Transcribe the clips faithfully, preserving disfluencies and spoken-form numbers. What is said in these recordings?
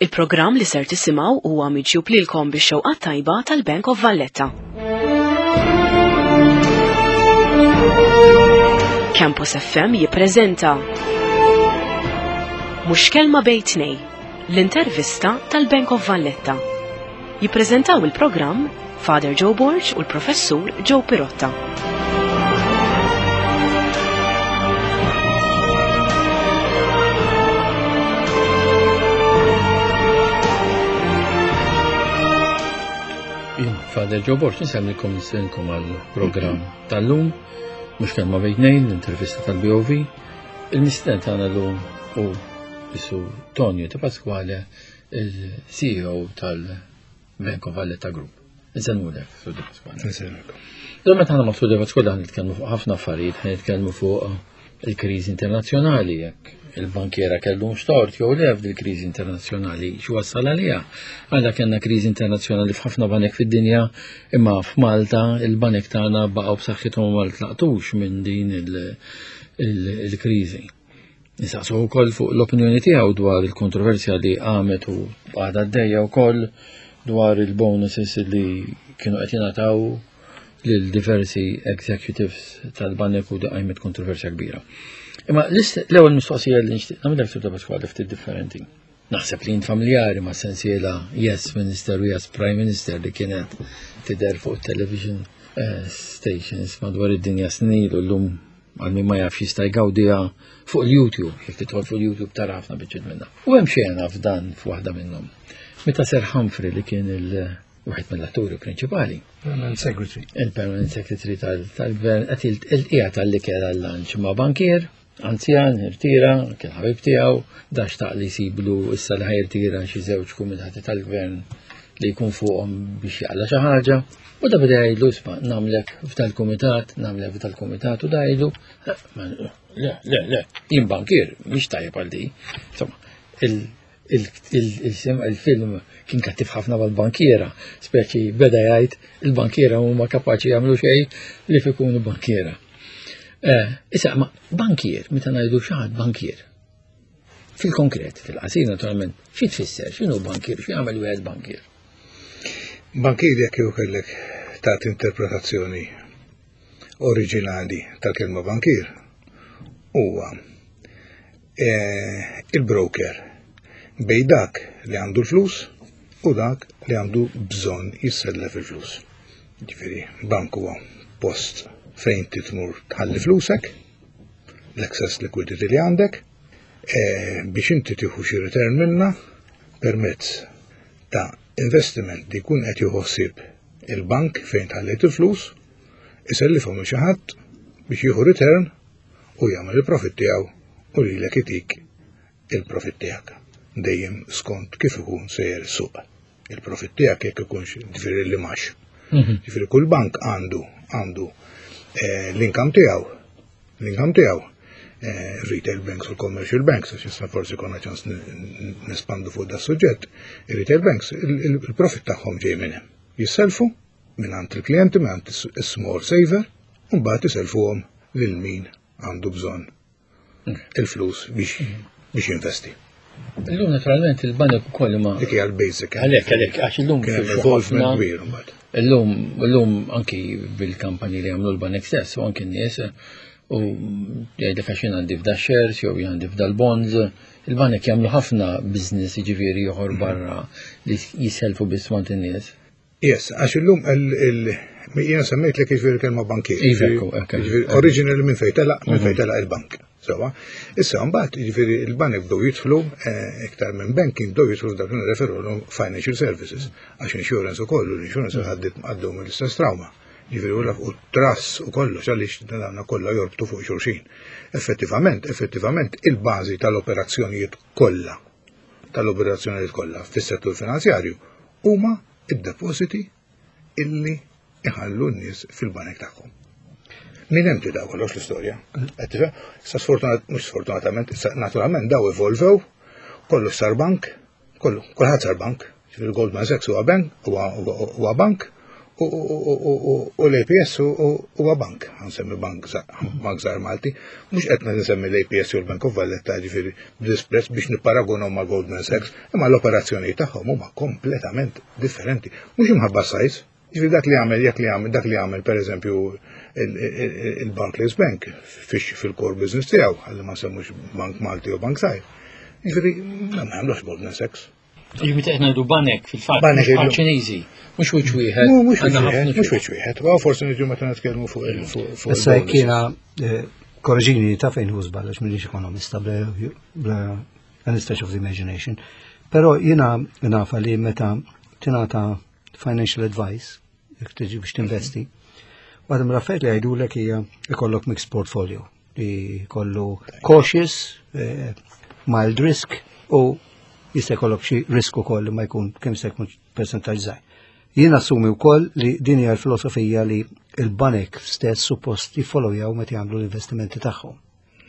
Il-programm li ser tisimgħu huwa miġjub lilkom bix-xewqa tajba tal-Bank of Valletta. Campus F M jippreżenta Mhux Kelma Bejn Tnejn, l-intervista tal-Bank of Valletta. Jippreżentaw il-programm Father Joe Borg u l-Professur Joe Pirotta. Father Joe Borg, nsemmikom nistenkom għal-programm tal-lum, mhux kelma bejn tnejn, l-intervista tal-B O V. Il-mistieden tagħna llum hu Sur Tonio De Pasquale, il-C E O tal-Bank of Valletta Group. Insellmulek, Sur De Pasquale. Insellmulek. Illum meta aħna ma' Sur De Pasquale ħan nitkellmu fuq ħafna affarijiet, ħan nitkellmu fuq il-kriżi internazzjonali, jekk il-bankiera kellhom xtort jew le f'dil-kriżi internazzjonali, x'wassal għaliha. Għandha kellna kriżi internazzjonali f'ħafna banek fid-dinja, imma f'Malta il-banek tagħna baqgħu b'saħħithom ma tlaqtux minn din il-, il-, il-kriżi. Nistaqsu wkoll fuq l-opinjoni tiegħu dwar il-kontroversja li qamet u għadha għaddejja wkoll dwar il-bonuses li kienu qed jingħataw lil diversi executives tal-banek u qajmet kontroversja kbira. Imma l-ist-, l-ewwel mistoqsija li nixtieq nagħmilek Sur De Pasquale ftit differenti. Naħseb li jien familjari ma' sensiela Yes Minister u Yes Prime Minister li kienet tidher fuq television, eh, stations madwar id-dinja snin u llum għal min ma jafx jista' jgawdiha fuq il-YouTube, jekk tidħol fuq il-YouTube tara ħafna biċċiet minnha. U hemm xena f'dan f'waħda minnhom. Meta Sir Humphrey li kien il- wieħed mill-atturi prinċipali. Permanent Secretary. Il-Permanent Secretary tal-, tal-Gvern qed il-, il-qiegħed tal-ikel għal-lunch ma' bankier, anzjan, irtira, kien ħabib tiegħu, da xtaq li jsiblu issa li ħajrtira xi żewġ kumitati tal-gvern li jkun fuqhom biex jaqla' xi ħaġa. U da beda jgħidlu, isma' nagħmlek f'dal-kumitat, nagħmlek f'dal-kumitat, u da jgħidlu, le, le, le, jien bankier, mhix tajjeb għal di. Insomma, il-, il-, il-, il-, il-film kien kattiv ħafna mal-bankiera, speċi beda jgħid il-bankiera huma kapaċi jagħmlu xejn li fikunu bankiera. Eh, issa, ma bankier, meta ngħidu xi ħadd bankier, fil-konkret, fil-qasir naturalment, xi tfisser, x'inhu bankier, xi jagħmel wieħed bankier? Bankier jekk jew kellek tagħti interpretazzjoni oriġinali tal-kelma bankier huwa, eh, il-broker bej dak li għandu l-flus u dak li għandu bżonn jissellef il-flus. Ġifieri, bank huwa post fejn titmur tħalli flusek, l-excess liquidity li għandek, eh, biex inti tieħu xi return minna permezz ta' investiment li jkun qed jieħu ħsieb il-bank fejn tħallejt il-flus, isellifhom lil xi ħadd biex jieħu return u jagħmel il-profit tiegħu u lilek itik il-profit tiegħek. Dejjem skont kif ikun sejjer is-suq. Il-profit tiegħek jekk ikunx ġifieri li max. Mhm. Ġifieri kull bank għandu, għandu, eh, l-income tiegħu, l-income tiegħu, eh, retail banks u commercial banks, għax issa forsi konna ċans n-, n-, nespandu fuq da suġġett, il-retail banks, il-, il-, il-profit tagħhom ġej minn hemm. Jisselfu minn għand il-klijenti, minn għand is-, is-small saver, u mbagħad iselfuhom lil min għandu bżonn il-flus biex, biex jinvesti. Illum naturalment il-banek ukoll ma Dik hija l-basic, eh? Għalhekk, għalhekk, għax illum Kien hemm fi involvement ħafna kbir imbagħad. Illum, illum anki bil-kampanji li jagħmlu l-banek stess u anki n-nies u jgħidlek għax jien għandi f'da shares jew jien għandi f'da l-bonds, il-banek jagħmlu ħafna business jiġifieri ieħor barra li jiselfu biss mant in-nies. Yes, għax illum il-, il-, jiena semmejt lek jiġifieri kelma bankier. Iva, ekku, ekku. Jiġifieri originally minn fejn telaq, minn fejn Mhm. telaq il-bank. Sewa. Issa mbagħad jiġifieri il-banek bdew jidħlu, eh, iktar minn banking bdew jidħlu f'dak li nirreferu lhom financial services, għax insurance ukoll, l-insurance għaddiet għaddew mill-istess trauma. Jiġifieri u l-, u trust u kollox għaliex dan kollha jorbtu fuq xulxin. Effettivament, effettivament il-bażi tal-operazzjonijiet kollha, tal-operazzjonijiet kollha fis-settur finanzjarju huma id-depositi illi iħallu n-nies fil-banek tagħhom. Min hemm tibda kollox l-istorja. Qed tifhem? Issa sfortunat, mhux sfortunatament, issa naturalment daw evolvew, kollu sar bank, kollu, kulħadd sar bank. Ġifieri Goldman Sachs huwa bank, huwa, huwa, huwa bank, U l-A P S huwa bank, nsemmi bank bank żgħar Malti, mhux qed nsemmi l-A P S u l-Bank of Valletta, ġifieri, b'disprezz biex nipparagunhom ma' Goldman Sachs, imma l-operazzjoni tagħhom huma kompletament differenti. Mhux imħabba size, ġifieri dak li għamel, jekk li għamel, dak li għamel pereżempju il-Barclays Bank fil-core business tiegħu, għalli ma semmux Bank Malti u Bank Żgħir. Ġifieri, ma għamlux Goldman Sachs. Ġifieri qed ngħidu banek fil-fatt, banek Ċiniżi, mhux wiċċ wieħed. Mhux mhux wiċċ wieħed, u forsi niġu meta nitkellmu fuq il fuq. Issa jiena, eh, korreġini ta' fejn hu żball, għax m'iniex ekonomista bla any stretch of the imagination. Però jiena nafa li meta tingħata financial advice, jekk tiġi biex tinvesti, waħda mill-affarijiet li jgħidulek hija ikollok mixed portfolio li kollu cautious, eh, mild risk u jista' jkollok xi risk ukoll li ma jkun kemm se jkun percentaġġ żgħir. Jien assumi wkoll li din hija l-filosofija li l-banek stess suppost jiffollowjaw meta jagħmlu l-investimenti tagħhom.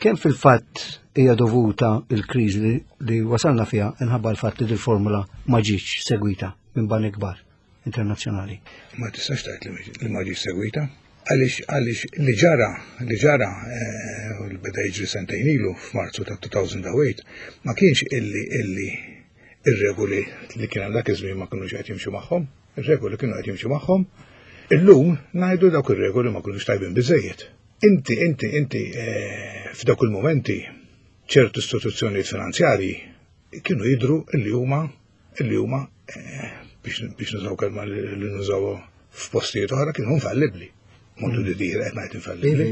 Kemm fil-fatt hija dovuta l-kriżi li wasalna fiha inħabba l-fatt li dil-formula ma ġietx segwita minn banek kbar internazzjonali? Ma tistax tgħid li ma ġietx segwita. Għaliex għaliex li ġara, li ġara eh, u li beda jiġri sentejn ilu f'Marzu ta' elfejn u tmienja ma kienx illi illi ir-regoli li kien hemm dak iż-żmien ma kinux qed jimxu magħhom, ir-regoli kienu qed jimxu magħhom. Illum ngħidu dawk ir-regoli ma kinux tajbin biżejjed. Inti, inti, inti eh, f'dawk il-momenti ċertu istituzzjonijiet finanzjarji kienu jidru illi huma illi huma eh, biex biex nużaw kelma li li nużaw f'postijiet oħra, kienu infallibbli. Modu di dire qed ngħid infallibbli.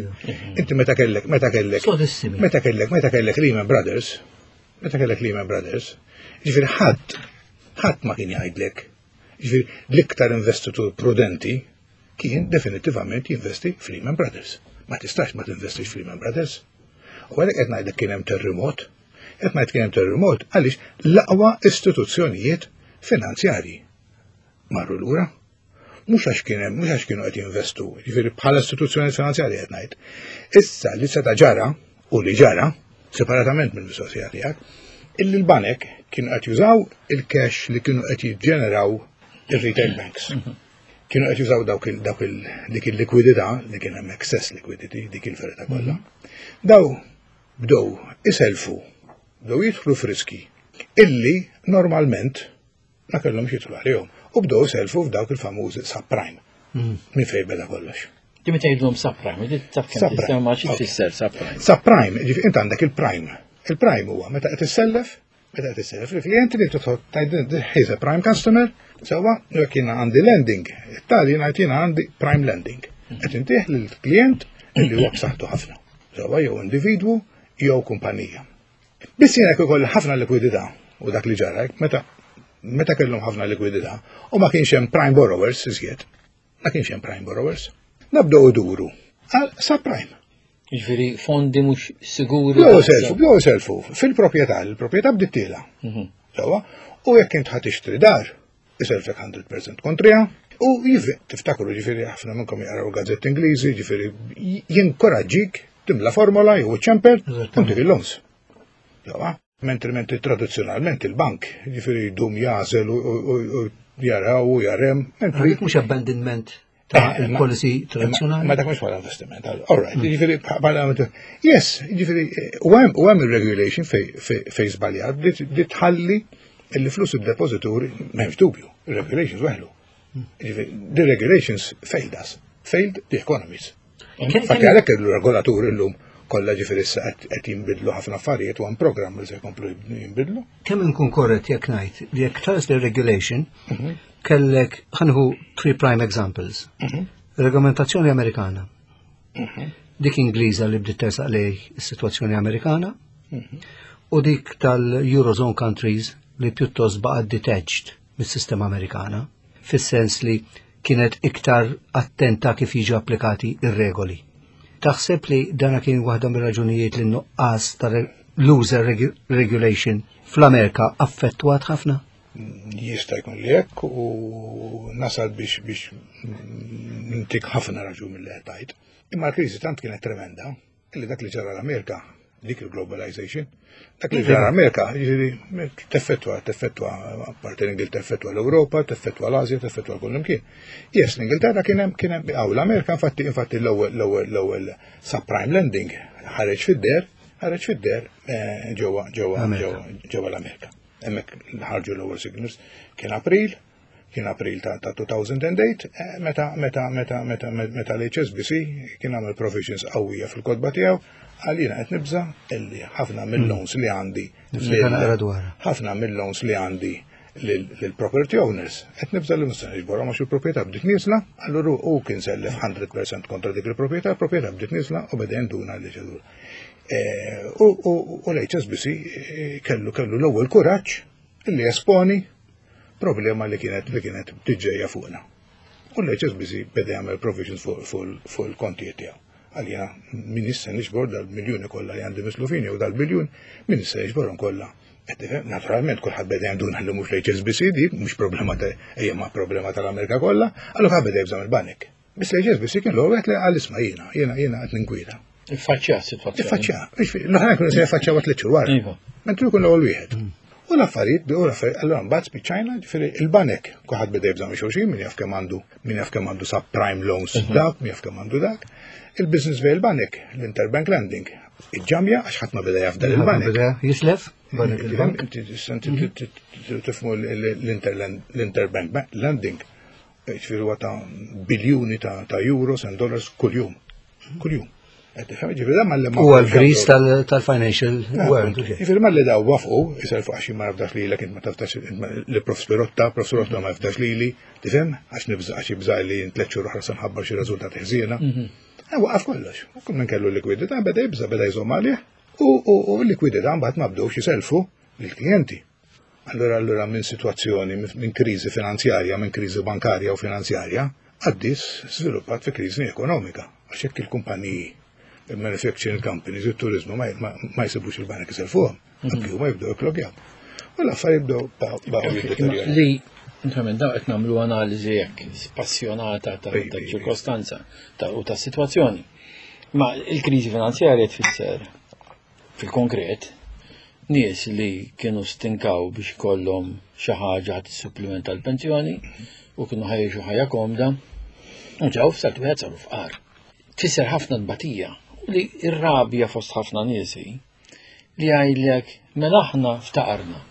Inti meta kellek meta kellek Sodissimi. meta kellek meta kellek Lehman Brothers, meta kellek Lehman Brothers, ġifieri ħadd ħadd ma kien jgħidlek. Ġifieri l-iktar investitur prudenti kien definitivament jinvesti f'Lehman Brothers. Ma tistax ma tinvestix f'Lehman Brothers. U għalhekk qed ngħidlek kien hemm terremot. Qed ngħid kien hemm terremot għaliex l-aqwa istituzzjonijiet finanzjarji marru lura. Mhux għax kien hemm, mhux għax kienu qed jinvestu, ġifieri bħala istituzzjonijiet finanzjarji qed ngħid. Issa li seta' ġara u li ġara, separatament mill-mistoqsija tiegħek, illi l-banek kienu qed jużaw il-cash li kienu qed jiġġeneraw ir-retail banks. Kienu qed jużaw dawk il dawk il dik il-likwidità li kien hemm, excess liquidity, dik il-verità kollha. Daw bdew iselfu, bdew jidħlu f'riski illi normalment ma kellhomx jidħlu għalihom u bdew iselfu f'dawk il-famużi subprime. Minn fejn beda kollox. Di meta jgħidulhom subprime, di taf kemm Subprime. tisema xi Ok. tfisser subprime? Subprime, ġifieri int għandek il-prime. Il-prime huwa meta qed issellef, meta qed issellef il-klijenti li tidħol tgħid he's a prime customer, sewwa, jekk jiena għandi lending, it-tali ngħid jiena għandi prime lending. Qed intih lill-klient illi huwa b'saħħtu ħafna. Sewwa, jew individwu jew kumpanija. Biss jiena jekk ikolli ħafna likwidità, u dak li ġara meta meta kellhom ħafna likwidità u ma kienx hemm prime borrowers iżjed, ma kienx hemm prime borrowers, nabdew iduru għal subprime. Ġifieri fondi mhux siguri. Bdew selfu, bdew selfu fil-proprjetà, il-proprjetà bdiet tiela. Mhm. Sewwa, u jekk int ħa tixtri dar, iselfek mija fil-mija kontrija, u jivi, tiftakru, ġifieri ħafna minnkom jaqraw gazzetti Ingliżi, ġifieri jinkoraġġik timla formola jew ċempel u ntik il-loans. Sewwa, mentri mentri tradizzjonalment il-bank, ġifieri jdum jagħżel u- u u- u jaraw u jarem, mentri Dik mhux abandonment ta' Eh, ma- il-policy Ma tradizzjonali? dak mhux bħala investiment. All right, ġifieri bħala, yes, ġifieri u hemm u hemm il-regulation fej fej fej żbaljat li li tħalli il flus id-depożituri, m'hemmx dubju, il-regulations weħlu. Ġifieri the regulations failed us, failed the economies. Infatti għalhekk il-regolaturi llum kollha, ġifieri issa qed qed jinbidlu ħafna affarijiet u hemm programm li se jkomplu jinbidlu. Kemm inkun korrett jekk ngħid li jekk tħares li regulation kellek, ħa nieħu three prime examples? Regolamentazzjoni Amerikana. Dik Ingliża li bdiet tersaq lej is-sitwazzjoni Amerikana u dik tal-Eurozone countries li pjuttost baqgħet detached mis-sistema Amerikana, fis-sens li kienet iktar attenta kif jiġu applikati ir-regoli. Taħseb li dana kien waħda mir-raġunijiet li nuqqas ta' looser regulation fl-Amerika affettwat ħafna? Jista' jkun li hekk u nasal biex biex ntik ħafna raġun mill-li qed tgħid. Imma l-kriżi tant kienet tremenda illi dak li ġara l-Amerika Dik il-globalization. Dak li ġara Amerika, jiġifieri teffettwa, teffettwa, apparti l-Ingilterra, teffettwa l-Ewropa, teffettwa l-Asja, teffettwa kullimkien. Yes, l-Ingilterra kien hemm kien hemm hawn l-Amerika infatti infatti l-ewwel l-ewwel l-ewwel subprime lending ħareġ fid-deher, ħareġ fid-deher eh, ġewwa ġewwa Amerika. ġewwa ġewwa l-Amerika. Hemmhekk ħarġu l-ewwel signals kien April, kien April ta' ta' two thousand and eight, eh, meta meta meta meta meta l-H S B C kien għamel provisions qawwija fil-kotba tiegħu għal jiena qed nibża illi ħafna mill-loans li għandi Niftakar naqra dwarha. Ħafna mill-loans li għandi lill-property owners qed nibża li mhux se niġborhom għax il-proprjetà bdiet nieżla. Allura hu kien sellef mija fil-mija kontra dik il-proprjetà, il-proprjetà bdiet nieżla u beda jinduna li ġedur. Eh, U u- u l-H S B C eh, kellu kellu l-ewwel kuraġġ illi esponi problema li kienet li kienet tiġġejja fuqna. U l-H S B C beda jagħmel provisions fuq fuq- fuq il-kontijiet tiegħu. Għalija min issa niġbor dal-miljuni kollha li għandi mislufin jew dal-biljun, min issa jiġborhom kollha. Qed tifhem? Naturalment kulħadd beda jinduna li mhux l-H S B C di, mhux problema ta' ejja ma' problema tal-Amerika kollha, allura ħadd beda jibża' mill-banek. Biss l-H S B C kien l-ewwel wieħed li qal, "Isma' jiena, jiena jiena qed ninkwieta." Iffaċċja s-sitwazzjoni. Iffaċċja, l-oħrajn kienu se jaffaċċjaw tliet xhur wara. Iva. Mentri jkun l-ewwel wieħed. U l-affarijiet, u l-affarijiet, allura mbagħad spiċċajna, ġifieri il-banek, kulħadd beda jibża' minn xulxin, min jaf kemm għandu, min jaf kemm għandu subprime loans dak, min jaf kemm għandu dak. Il-business bejn il-banek, l-interbank lending, iġġamja għax ħadd ma beda jaf dan il-banek. Beda jislef, banek il-bank. Inti tifhmu l-interbank lending, ġifieri huwa ta' biljuni ta' ta' euros and dollars kuljum. Kuljum. Qed tifhem? Ġifieri dan malli ma U għal-gris tal-financial world. Ġifieri malli daw wafqu, jiselfu għax ma nafdax lilek, int ma tafdax li Prof Spirotta, Prof Spirotta ma jafdax lili, tifhem? Għax nibża' għax jibża' li tliet xhur oħra se nħabbar xi riżultati ħżiena. Eh, Waqaf kollox. U kull min kellu likwidità beda jibża', beda jżomm għalih u u- u l-likwidità mbagħad ma bdewx jiselfu lill-klijenti. Allura allura minn situazzjoni, minn kriżi finanzjarja, minn kriżi bankarja u finanzjarja, għaddis sviluppat fi kriżi ekonomika. Għax jekk il-kumpaniji, il-manufacturing companies, il-turizmu ma, ma, ma jsibux il-banek jiselfuhom, anki huma jibdew jklogjaw. U l-affarijiet jibdew baqgħu jiddeterjoraw. Li, Insomma, daw qed nagħmlu analiżi hekk spassjonata ta' Ej, ta' ej, ej. ċirkostanza ta' u ta' situazzjoni. Ma il-kriżi finanzjarja tfisser fil-konkret nies li kienu stinkaw biex ikollhom xi ħaġa tissupplementa l-pensjoni u kienu ħajxu ħajja komda u ġew f'salt wieħed saru fqar. Tfisser ħafna tbatija u li r-rabja fost ħafna niesi li jgħidlek, "Mela aħna ftaqarna.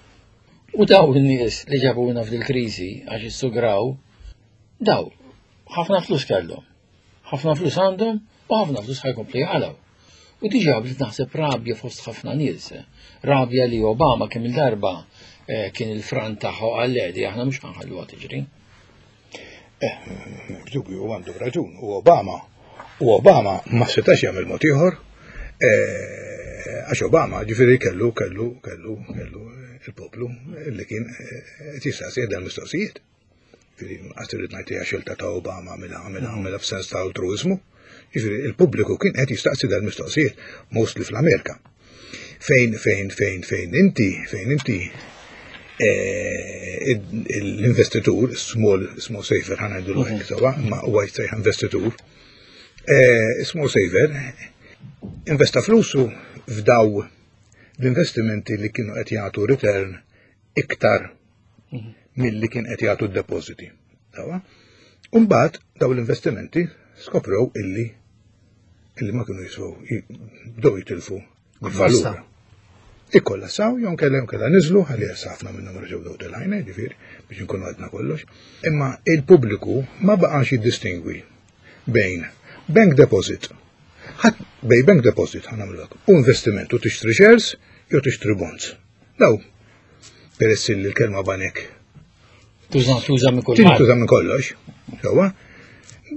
U daw in-nies li ġabuna f'dil-kriżi għax issugraw, daw ħafna flus kellhom. Ħafna flus għandhom u ħafna flus ħa jkomplu jaqilgħu." U diġà bdiet naħseb rabja fost ħafna nies. Rabja li Obama kemm il-darba eh, kien il-front tagħha qal li aħna mhux ħa nħalluha tiġri. Eh, dubju għandu raġun, u Obama, u Obama ma setax jagħmel mod ieħor, eh, għax Obama ġifieri kellu kellu kellu kellu il-poplu li kien eh, qed jistaqsi dan mistoqsijiet. Ġifieri qatt irid ngħid hija xilta ta' Obama għamilha għamilha għamilha f'sens ta' altruizmu. Ġifieri il-pubbliku kien qed jistaqsi dan mistoqsijiet, mostly fl-Amerika. Fejn fejn fejn fejn inti fejn inti eh, l-investitur, small, small saver, ħa ngħidu l sewwa, ma huwa jissejjaħ investitur, eh, small saver, investa flusu f'daw l-investimenti li kienu qed jagħtu return iktar milli kien qed jagħtu d-depositi. Sewwa? Umbagħad daw l-investimenti skoprew illi illi ma kienu jiswew, bdew jitilfu Kollassa. valur. Ikkollassaw, jew kellha jew kellha niżlu, ħalli ħafna minnhom reġgħu dew telgħin, ġifieri biex inkunu għadna kollox. Imma il-pubbliku ma baqax jiddistingwi bejn bank deposit. Ħadd bej bank deposit ħa nagħmlu u investiment u tixtri shares jew tixtri bonds. Daw, peress li l-kelma banek Tuża tuża minn kulħadd. tintuża minn kollox, sewwa,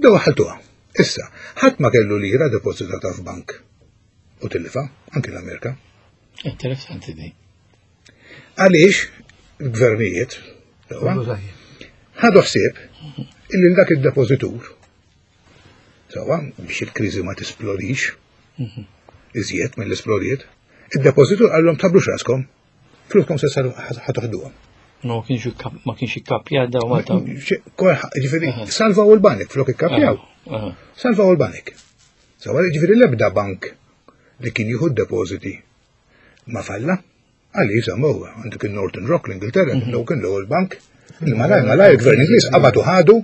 daw ħaltuha. Issa, ħadd ma kellu lira depożitata f'bank u tillifa, anki l-Amerika. Interessanti di. Għaliex il-gvernijiet sewwa, Kollu tajjeb. ħadu ħsieb illi dak id-depożitur sewwa biex il-kriżi ma tisplodix iżjed mill-isplodiet, id-depożitur qallhom, "Tħabblux raskom, fluskom se saru ħa toħduhom." Ma kienx ikka- ma kienx ikkappja daw Malta. Ġifieri salvaw il-banek flok ikkapjaw. Aha. Salvaw il-banek. Sewwa, ġifieri l-ebda bank li kien jieħu d-depositi ma falla. Għalli jisammu, għandek il-Northern Rock l-Ingilterra, mm -hmm. kien l-ewwel bank, li malaj malaj il-gvern Ingliż qabad u ħadu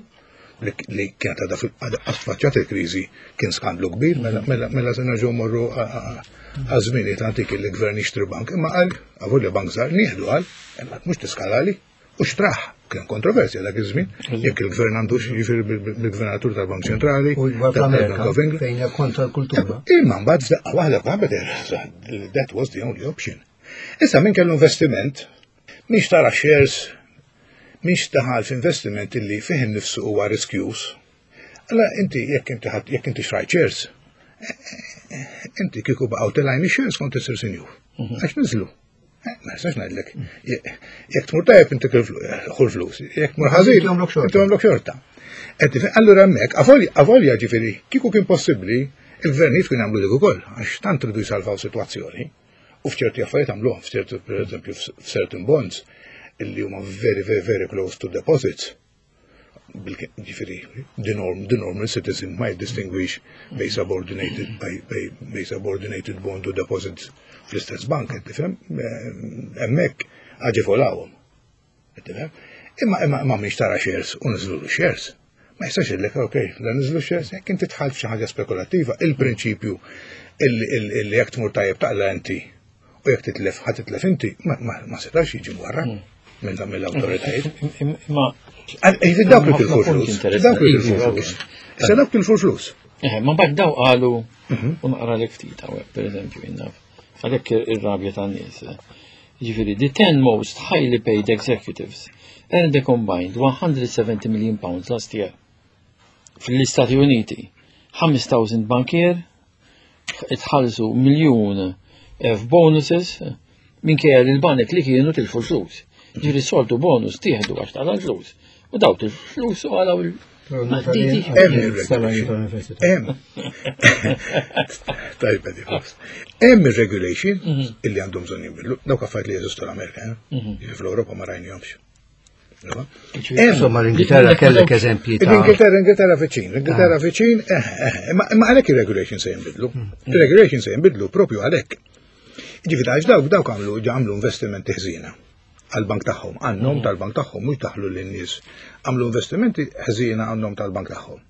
li kienet għadha affaċċat il-kriżi, kien skandlu kbir, mela, mela, mela se nerġgħu morru għaż-żminijiet antiki li gvern jixtri bank, imma qal avolja bank żgħar nieħdu qal, imma mhux tiskalali, u xtraħ, kien kontroversja dak iż-żmien, jekk il-gvern għandux jiġifieri bil-gvernatur tal-Bank Ċentrali, U fl-Amerika, fejn hija kontra l-kultura. Imma mbagħad f'daqqa waħda qabel that was the only option. Issa min kellu investiment, min xtara shares, min daħal f'investiment illi fih innifsu huwa riskjuż. Alla inti jekk inti ħadd jekk inti xtrajt shares, inti kieku baqgħu telgħin shares kont isir sinjur. Għax niżlu. Ma nistax ngħidlek. Jekk tmur tajjeb inti ħu l-flus, jekk tmur ħażin, inti għamlok xorta. Allura hemmhekk, avolja ġifieri, kieku kien possibbli, il-gvernijiet kien jagħmlu dik ukoll, għax tant ridu jsalvaw sitwazzjoni. U f'ċerti affarijiet għamluhom, f'ċerti pereżempju f'certain bonds, illi huma very, very, very close to deposits. Ġifieri, the norm, the normal citizen might distinguish bejn subordinated, bejn subordinated bond u deposits fl-istess bank, tifhem? Hemmhekk aġevolawhom. Tifhem? Imma imma imma min xtara shares u niżlu shares. Ma jistax jgħidlek, ok, la niżlu shares, jekk inti dħalt f'xi ħaġa spekulattiva, il-prinċipju illi jekk tmur tajjeb taqla inti u jekk titlef ħa titlef inti, ma setax jiġi warra minn mill-awtoritajiet. Ma Dawk li tilfu flus. Dawk li tilfu flus. Issa dawk tilfu flus. Ma mbagħad daw qalu u naqra lek ftit hawnhekk pereżempju jinnaf. Għalhekk ir-rabja tan-nies. Ġifieri, the ten most highly paid executives earned a combined one hundred seventy million pounds last year. Fl-Istati Uniti, five thousand bankier itħallsu miljun f'bonuses minkejja li l-banek li kienu tilfu flus. Ġifieri soltu bonus tieħdu għax taqla' l-flus. U daw til-flus u għalaw il- Hemm. Tajba di flus. Hemm ir-regulation illi għandhom bżonn jinbidlu. Dawk affarijiet li jeżistu l-Amerika, eh? Fl-Ewropa ma rajnihomx. Insomma, l-Ingilterra kellek eżempji ta' L-Ingilterra, Ingilterra viċin, l-Ingilterra viċin, eh, eh, imma għalhekk ir-regulation se jinbidlu. Ir-regulation se jinbidlu propju għalhekk. Ġifieri għax dawk dawk għamlu għamlu investimenti ħżiena għal-bank tagħhom, għan-nom tal-bank tagħhom, mhux daħlu lin-nies. Għamlu investimenti ħżiena għan-nom tal-bank tagħhom.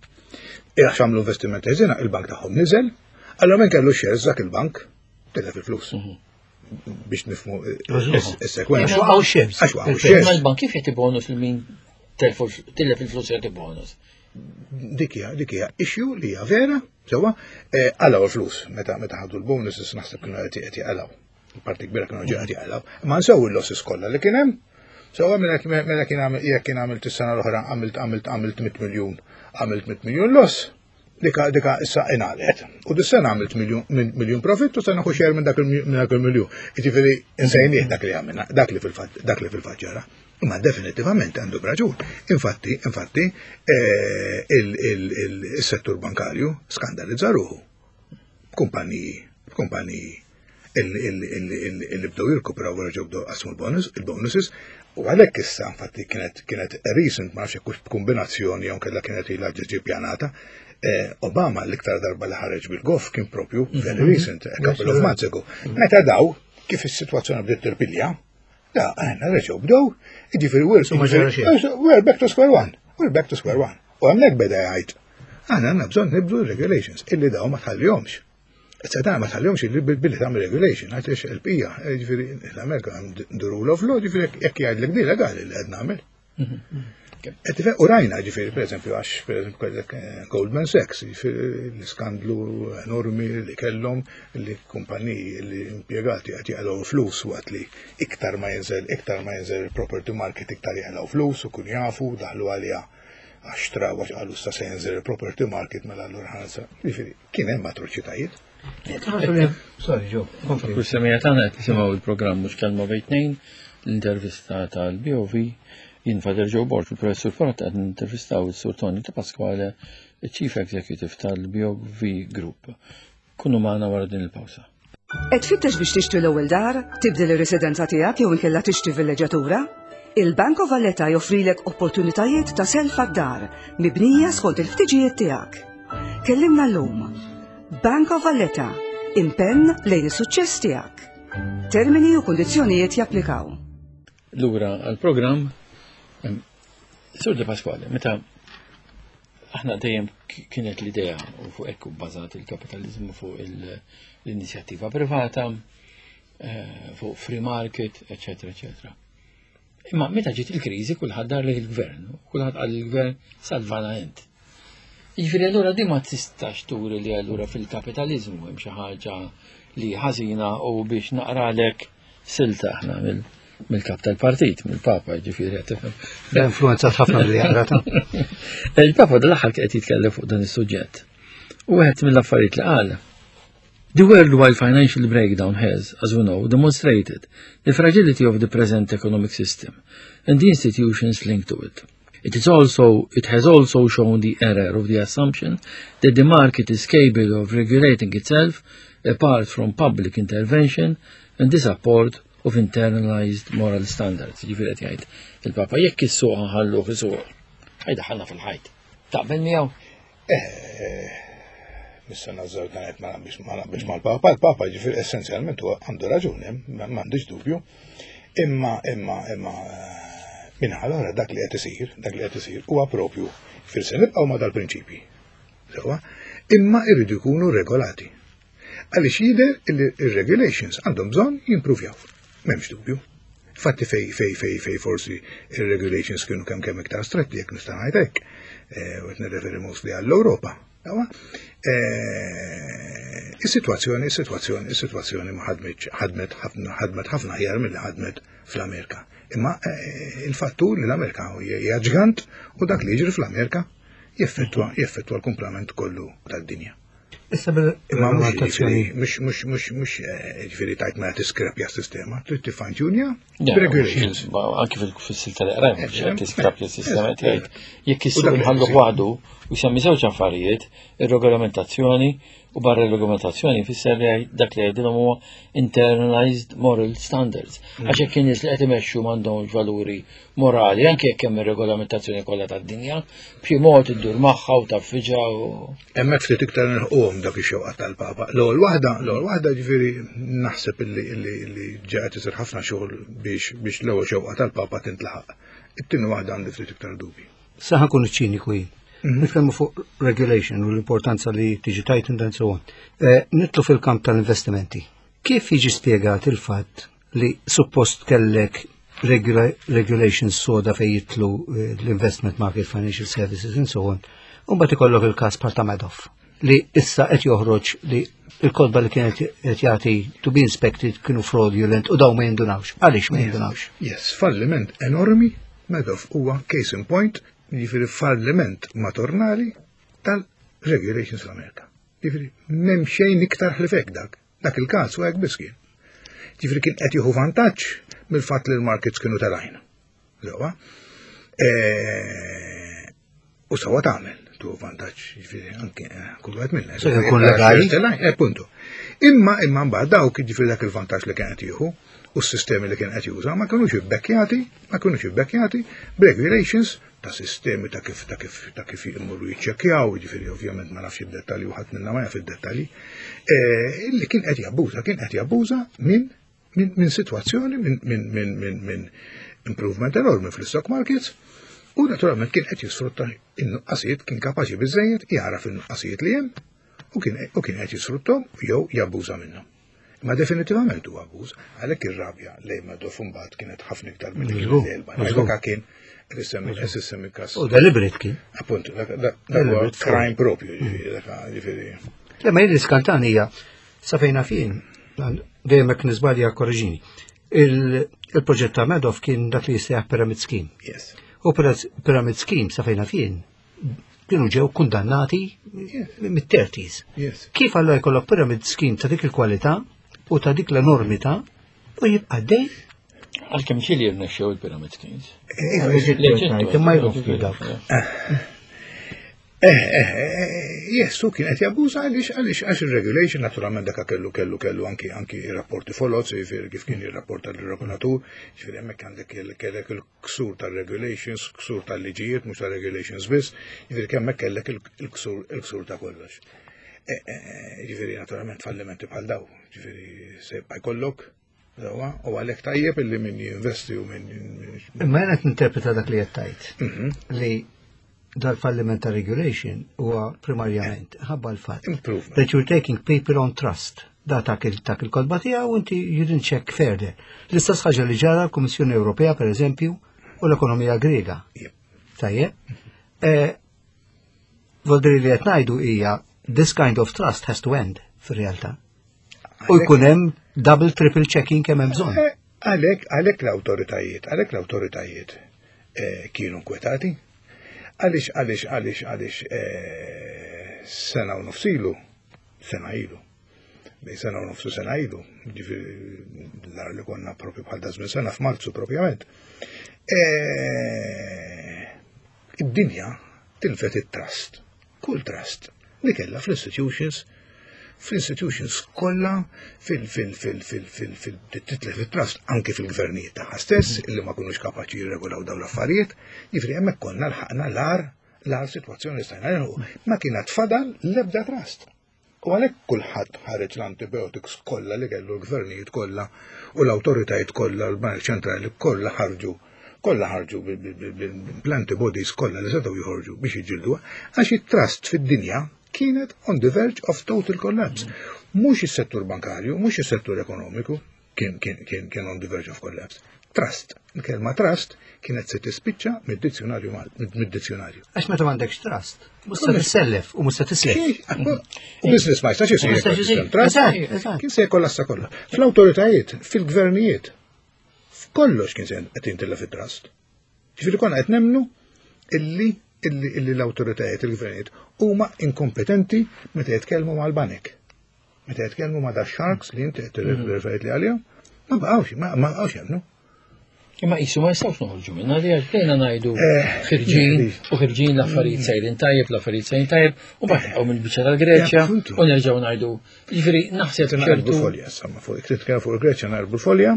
Għax għamlu investimenti ħżiena, il-bank tagħhom niżel, allora min kellu shares dak il-bank tilef il-flus. Biex nifhmu is-sekwenza. Għax waqgħu shares. Għax waqgħu shares. Ma l-bank kif jagħti bonus lil min tilef il-flus jagħti bonus? Dik hija dik hija issue li hija vera, sewwa, qalgħu l-flus meta meta ħadu l-bonuses, naħseb kienu qed qed jaqalgħu. Parti kbira kienu ġi qed jaqalgħu. Ma nsew il-losses kollha li kien hemm. Sewwa, mela mela kien għamil jekk kien għamilt is-sena l-oħra għamilt għamilt għamilt mitt miljun, għamilt mitt miljun loss. Dika dika issa inqalgħet. U dis-sena għamilt miljun miljun profit u se nieħu share minn dak il-miljun. Jiġifieri insejnieh dak li għamilna, dak li fil-fatt dak li fil-fatt ġara. Imma definitivament għandu raġun. Infatti, infatti, il-settur bankarju skandalizza ruħu. Kumpaniji, kumpaniji illi bdew jirkupraw wara ġew bdew qasmu il-bonuses u għalhekk issa infatti kienet kienet recent, ma nafx hekk kombinazzjoni jew kellha kienet ilha ġiġi pjanata. Obama l-iktar darba li ħareġ bil-goff kien propju very recent, a couple of months ago. Meta daw kif is-sitwazzjoni bdiet tirpilja, da, għanna reġgħu bdew, jiġifieri we're, we're back to square one. We're back to square one. U hemmhekk beda jgħid, għandna għandna bżonn nibdlu regulations, illi daw ma tħallihomx. Issa dan ma tħallihomx illi billi tagħmel regulation, għax il-pija, ġifieri l-Amerika the rule of law, ġifieri jekk jgħidlek di legali li qed nagħmel. U rajna ġifieri, per eżempju, għax per eżempju kellek Goldman Sachs, ġifieri l-iskandlu enormi li kellhom li kumpaniji li impjegati qed jaqilgħu flus waqt li iktar ma jinżel, iktar ma jinżel il-property market iktar jaqilgħu flus u kun jafu daħlu għalija għax traw għax qalu issa se jinżel il-property market, mela allura ħansa. Ġifieri kien hemm atroċitajiet. Sorry, Joe. Kull semija tagħna qed tisimgħu il-programm Mhux Kelma Bejn Tnejn, l-intervista tal-B O V. Jien Father Joe Borg, il-professur Forat, qed intervistaw il-Sur Tony De Pasquale, il-Chief Executive tal-B O V Group. Kunu magħna wara din il-pawsa. Qed tfittex biex tixtri l-ewwel dar, tibdel ir-residenza tiegħek jew inkella tixtri villeġġatura? Il-Bank of Valletta joffrilek opportunitajiet ta' self għad-dar mibnija skont il-ħtiġijiet tiegħek. Kellimna llum. Bank of Valletta, Impenn lejn is-suċċess tiegħek. Termini u kundizzjonijiet japplikaw. Lura għal-programm, em, Sur De Pasquale, meta aħna dejjem k- kienet l-idea u fuq ekku bbażat il-kapitalizmu fuq il- l-inizjattiva privata, eh, fuq free market, eccetera, eccetera. Imma meta ġiet il-kriżi kulħadd dar lejn il-gvern, kulħadd qal il-gvern salvana int. Jiġifieri allura di ma tistax turi li allura fil-kapitalizmu hemm xi ħaġa li ħażina u biex naqralek silta aħna mill- mill-kap tal-partit, mill-Papa, ġifieri qed tifhem. Da influenzat ħafna billi jaqrata. Il-Papa dal-aħħar qed jitkellem fuq dan is-suġġett. U wieħed mill-affarijiet li qal. The worldwide financial breakdown has, as we know, demonstrated the fragility of the present economic system and the institutions linked to it. It is also, it has also shown the error of the assumption that the market is capable of regulating itself apart from public intervention and the support of internalized moral standards. Ġifieri qed jgħid il-Papa jekk is-suq ħalluh isuq, ħa jdaħħalna fil-ħajt. Taqbel miegħu? Missa nażżar dan qed ma naqbilx ma naqbilx mal-Papa, il-Papa ġifieri essenzjalment huwa għandu raġuni, ma m'għandix dubju. Imma imma imma minħal oħra dak li qed isir, dak li qed isir huwa propju fil se nibqgħu ma dal-prinċipji. Sewwa, imma irridu jkunu regolati. Għaliex jidher li ir-regulations għandhom bżonn jimpruvjaw. M'hemmx dubju. Fatti fej fej fej fej forsi ir-regulations kienu kemm kemm iktar stretti jekk nista' ngħid hekk. Eh, u qed nirreferi mostly għall-Ewropa. Sewwa, eh, Is-sitwazzjoni, is-sitwazzjoni, is-sitwazzjoni ma ħadmitx ħadmet ħafna ħadmet ħafna aħjar milli ħadmet fl-Amerika. Imma eh, il-fattu li l-Amerika hija ġgant u dak li jiġri fl-Amerika jeffettwa jeffettwa l-kumplament kollu tad-dinja. Issa Imma mhux bil-regolamentazzjoni. ġifieri, mhux mhux mhux mhux eh, ġifieri tajt ma tiskrepja s-sistema, trid tifine-tunja Ja, regulations. Anki fil-silta li qrajna, biex qed tiskrapja s-sistema qed jgħid jekk U is-suq dak li inħalluh qed waħdu u jsemmi żewġ affarijiet, ir-regolamentazzjoni u barra r-regolamentazzjoni fisser li dak li jgħidilhom huwa internalized moral standards. Għax jekk in-nies li qed imexxu m'għandhomx valuri morali, anke jekk hemm ir-regolamentazzjoni kollha tad-dinja, b'xi mod iddur magħha u taffiġa u Hemmhekk ftit iktar nilħquhom dak ix-xewqa tal-Papa. L-ewwel waħda, l-ewwel waħda ġifieri naħseb illi illi illi ġa qed isir ħafna xogħol biex biex l-ewwel xewqa tal-Papa tintlaħaq. It-tieni waħda għandi ftit iktar dubi. Sa ħa nkun ċiniku jien. Nitkellmu fuq regulation u l-importanza li tiġi tightened and so on. Eh, Nidħlu fil-kamp tal-investimenti. Kif jiġi spjegat il-fatt li suppost kellek regula regulations soda fej jidħlu eh, l-investment market, financial services and so on, u mbagħad ikollok il-każ bħal ta' Madoff li issa qed joħroġ li il-kotba li kienet qed jagħti to be inspected kienu fraudulent u daw ma jindunawx. Għaliex ma jindunawx? Yes, falliment enormi, Madoff huwa case in point, jiġifieri falliment madornali tal-regulations fl-Amerika. Jiġifieri m'hemm xejn iktar ħlief dak. Dak il-każ u hekk biss kien. Jiġifieri kien qed jieħu vantaġġ mill-fatt li l-markets kienu telgħin. Sewwa. Eh, U sawa tagħmel tu vantaġġ, jiġifieri anke eh, kull wieħed minna. Se jkun legali. Eh, punto. Imma imma mbagħad dawk jiġifieri dak il-vantaġġ li kien qed jieħu u s-sistemi li kien qed juża ma kinux ibbekkjati, ma kinux ibbekkjati b'regulations ta' sistemi ta' kif ta' kif ta' kif jmorru jiċċekkjaw, jiġifieri ovvjament ma nafx id-dettalji u ħadd minna ma jaf id-dettalji, eh, illi kien qed jabbuża, kien qed jabbuża minn min, min situazzjoni, minn min, min, min, min improvement enormi fl-stock markets, u naturalment kien qed jisfrutta in-nuqqasijiet, kien kapaċi biżejjed jaraf in-nuqqasijiet li hemm u kien u kien qed jisfruttom jew jabbuża minnhom. Ma definitivament huwa abbuż, għalhekk ir-rabja lejn Madoff imbagħad kienet ħafna iktar milli kienet Żgur, lejn il-bank. żgur. Dak kien qed issemmi qed issemmi każ. U deliberate kien. Appunto, dak dak dak huwa Deliberate crime propju, ġifieri, dak ġifieri. Le ma jidri skantan hija sa fejna fin, dejjem hekk niżbalja korreġini. Il- Il-proġett ta' Madoff kien dak li jissejjaħ Pyramid Scheme. Yes. U Pyramid Pyramid Scheme sa fejna fin kienu ġew kundannati mit-thirties. Yes. Kif allora jkollok Pyramid Scheme ta' dik il-kwalità u ta' dik l-enormità u jibqa' dej għalkemm xi li jirnexxew il-pyramid schemes. Imma jroffi dawk. Eh, eh, eh, yes, u kien qed jabbuża għaliex għaliex għax ir-regulation naturalment dak kellu kellu kellu anki anki rapporti foloz, jiġifieri kif kien jirrapporta l-regolatur, jiġifieri hemmhekk għandek il- kellek il-ksur tal-regulations, ksur tal-liġijiet, mhux tal-regulations biss, jiġifieri hemmhekk kellek il- il-ksur il-ksur ta' kollox. Ġifieri naturalment fallimenti bħal daw, ġifieri se jibqa' jkollok, dawa, u għalhekk tajjeb illi min jinvesti u min. Imma jena tinterpreta dak li qed tgħid Mhm. li dal-falliment ta' regulation huwa primarjament ħabba l-fatt Improvement. that you're taking people on trust. Da tak il tak il-kotba tiegħu u inti you didn't check further. L-istess ħaġa li ġara l-Kummissjoni Ewropea per eżempju u l-ekonomija Grega. Yep. Tajjeb. Eh, Voldiri li qed ngħidu hija this kind of trust has to end fir-realtà. U jkun hemm double triple checking kemm hemm bżonn. Eh, Għalhekk, għalhekk l-awtoritajiet, għalhekk l-awtoritajiet eh, kienu nkwetati. Għaliex, għaliex, għaliex, għaliex eh, sena u nofs ilu, sena ilu, bej sena u nofsu sena ilu, ġifieri nar li konna propju bħal da żmien sena f'Marzu propjament. Eh, Id-dinja tilfet it-trust, kull trust li kella fl-institutions fl-institutions kollha fil fil fil fil fil fil titlef it-trust anke fil-gvernijiet tagħha stess illi ma kunux kapaċi jirregolaw dawn l-affarijiet, jiġifieri hemmhekk konna lħaqna l-agħar l-agħar sitwazzjoni li stajna nilħu. Ma kienet fadal l-ebda trust. U għalhekk kulħadd ħareġ l-antibiotics kollha li kellu l-gvernijiet kollha u l-awtoritajiet kollha l-Bank Ċentrali kollha ħarġu kollha ħarġu bl-antibodies kollha li setgħu joħorġu biex jiġġielduha għax it-trust fid-dinja kienet on the verge of total collapse. Mhux is-settur bankarju, mhux is-settur ekonomiku kien kien kien kien on the verge of collapse. Trust, il-kelma trust kienet se tispiċċa mid-dizzjonarju mal- mid-dizzjonarju. Għax meta m'għandekx trust, mhux se tissellef u mhux se tislef. U business ma jistax isir Ma jistax jekk isir. trust. Eżatt, eżatt. Kien se jkollassa kollha. Fl-awtoritajiet, fil-gvernijiet, f'kollox kien se qed jintilef it-trust. Ġifieri konna qed nemnu illi illi illi l-awtoritajiet, il-gvernijiet huma inkompetenti meta jitkellmu mal-banek. Meta jitkellmu ma' da sharks li inti qed tirreferit li għalihom, ma baqgħux, ma ma baqgħux jemmnu. Imma qisu ma jistgħux noħorġu minna li għax bdejna ngħidu Eh, ħirġin u ħirġin l-affarijiet sejrin tajjeb, l-affarijiet sejrin tajjeb, u mbagħad naqgħu mill-biċċa tal-Greċja Ja, appuntu. u nerġgħu ngħidu. Ġifieri naħseb Naqrbu ċertu folja, samma fuq, titkellem fuq il-Greċja naqrbu folja.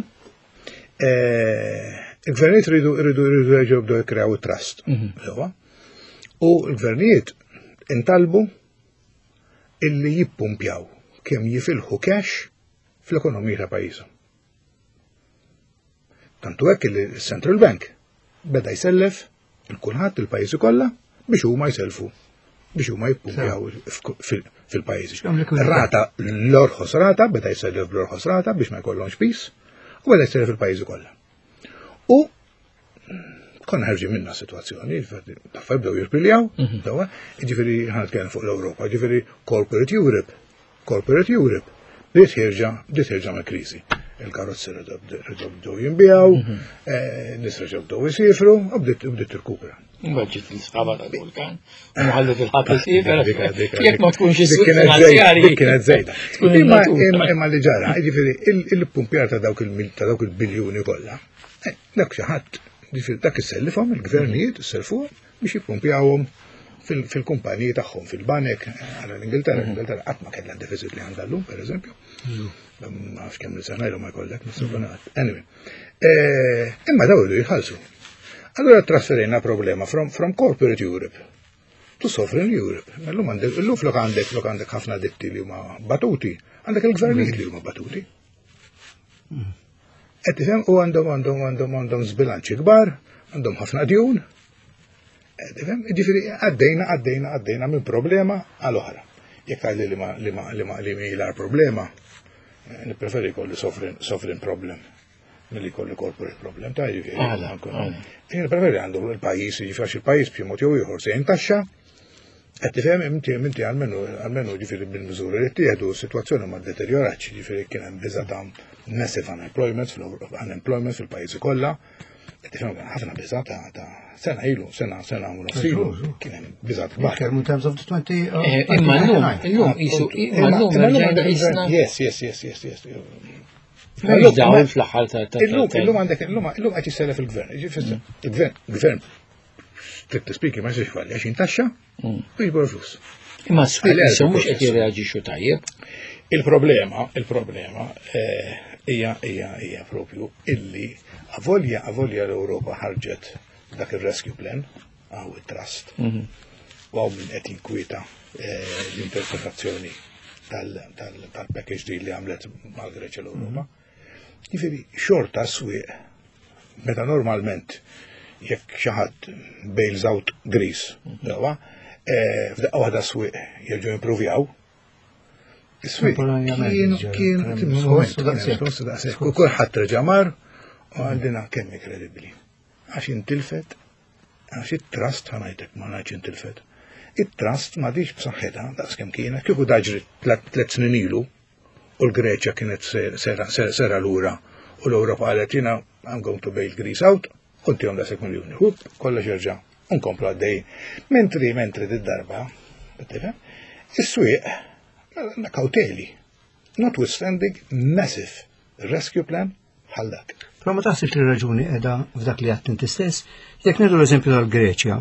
Eh, Il-gvernijiet ridu ridu ridu jerġgħu jibdew jikkreaw it-trust. Sewwa. U l-gvernijiet intalbu illi jippumpjaw kemm jifilħu cash fl-ekonomija ta' pajjiżhom. Tantu hekk li l-Central Bank beda jsellef il-kulħadd il-pajjiżi kollha biex huma jselfu biex huma jippumpjaw fil- fil-pajjiżi. X'hemm likwidità. Rata l-orħos rata beda jsellef bl-orħos rata biex ma jkollhomx piż u beda jsellef il-pajjiżi kollha. U konna ħarġin minna situazzjoni, taffa bdew jirpiljaw, dawa, ġifieri ħa nitkellem fuq l-Ewropa, ġifieri Corporate Europe, Corporate Europe, bdiet ħierġa, bdiet ħierġa mill-kriżi. Il-karozzi reġgħu bdew jinbiegħu, eh, nies reġgħu bdew isifru, u bdiet bdiet tirkupra. Mbagħad ġiet l-isħaba tal-vulkan u ħallet il-ħadd isifer. Dik- dik- Jekk ma tkunx dik is-suq kienet żejda, finanzjarji. dik kienet żejda. Tkun Imma in-natura. imma imma li ġara, ġifieri il-pumpjar ta' dawk il ta' dawk il-biljuni kollha. eh, Dak xi ħadd, ġifieri dak issellifhom il-gvernijiet isselfuhom biex jippumpjawhom fil- fil-kumpaniji tagħhom fil-banek għala l-Ingilterra, l-Ingilterra qatt ma kellha deficit li għandha llum, pereżempju. Ma nafx kemm li sena ilu ma jkollek, nistgħu Anyway. Eh, Imma daw iridu jitħallsu. Allora trasferejna problema from, from corporate Europe to sovereign Europe. Illum għandek, illum flok għandek, flok għandek ħafna ditti li huma batuti, għandek il-gvernijiet li huma batuti. Qed tifhem u għandhom għandhom għandhom għandhom żbilanċi kbar, għandhom ħafna djun. Qed tifhem, jiġifieri għaddejna għaddejna għaddejna minn problema għal oħra. Jekk għalli li ma li ma li ma li mi problema, eh, nippreferi jkolli sovereign sovereign problem milli jkolli corporate problem ta' jiġifieri. Għala, għala. Jien preferi għandu il-pajjiż, jiġifieri għax il-pajjiż b'xi mod jew ieħor se jintaxxa, qed tifhem inti inti almenu almenu ġifieri bil-miżuri li ttieħdu s-sitwazzjoni ma ddeterjoratx, ġifieri kien hemm biża' ta' massive unemployment fl- unemployment fil-pajjiżi kollha. Qed tifhem kien ħafna biża' ta' ta' sena ilu, sena sena u nofs ilu, kien hemm biża' kbar. Nitkellmu in terms of the twenty. uh, Eh, Imma llum, illum qisu, imma llum Imma llum rġajna għandek qisna. Yes, yes, yes, yes, yes. M'hemmx dawl fl-aħħar ta' ta' Illum, ta' illum għandek, illum, illum qed jissellef il-gvern. Ġifieri, il-gvern, gvern, strictly speaking, ma jistax jfalli, għax jintaxxa u jiġbor flus. Imma s-swieq Għalhekk issa mhux qed il-proċess. jirreaġixxu tajjeb. Il-problema, il-problema eh, hija hija hija propju illi avolja avolja l-Ewropa ħarġet dak il-rescue plan għaw il-trust. U hawn min qed jinkwieta eh, l-interpretazzjoni tal-package deal li għamlet mal-Greċja l-Ewropa. Jiġifieri, xorta s-swieq, meta normalment jekk xi ħadd bails out Greece, dawa, eh, f'daqqa waħda s-swieq jerġgħu improvjaw. Is-swieq kienu kienu u kulħadd reġa' mar u għandina kemm kredibbli. Għax intilfet, għax it-trust ħa ngħidlek ma ngħidx intilfet. It-trust m'għadhiex b'saħħitha daqs kemm kienet, kieku daġri tliet snin ilu u l-Greċja kienet sera lura u l-Ewropa qalet jiena I'm going to bail Greece out, u ntihom daqshekk miljuni. Hup, kollox jerġa' nkomplu għaddej. Mentri, mentri did-darba, tifhem, is-swieq kawteli, notwithstanding massive rescue plan bħal dak. Però ma taħsibx li raġuni qiegħda f'dak li għedt inti stess, jekk nieħdu l-eżempju tal-Greċja,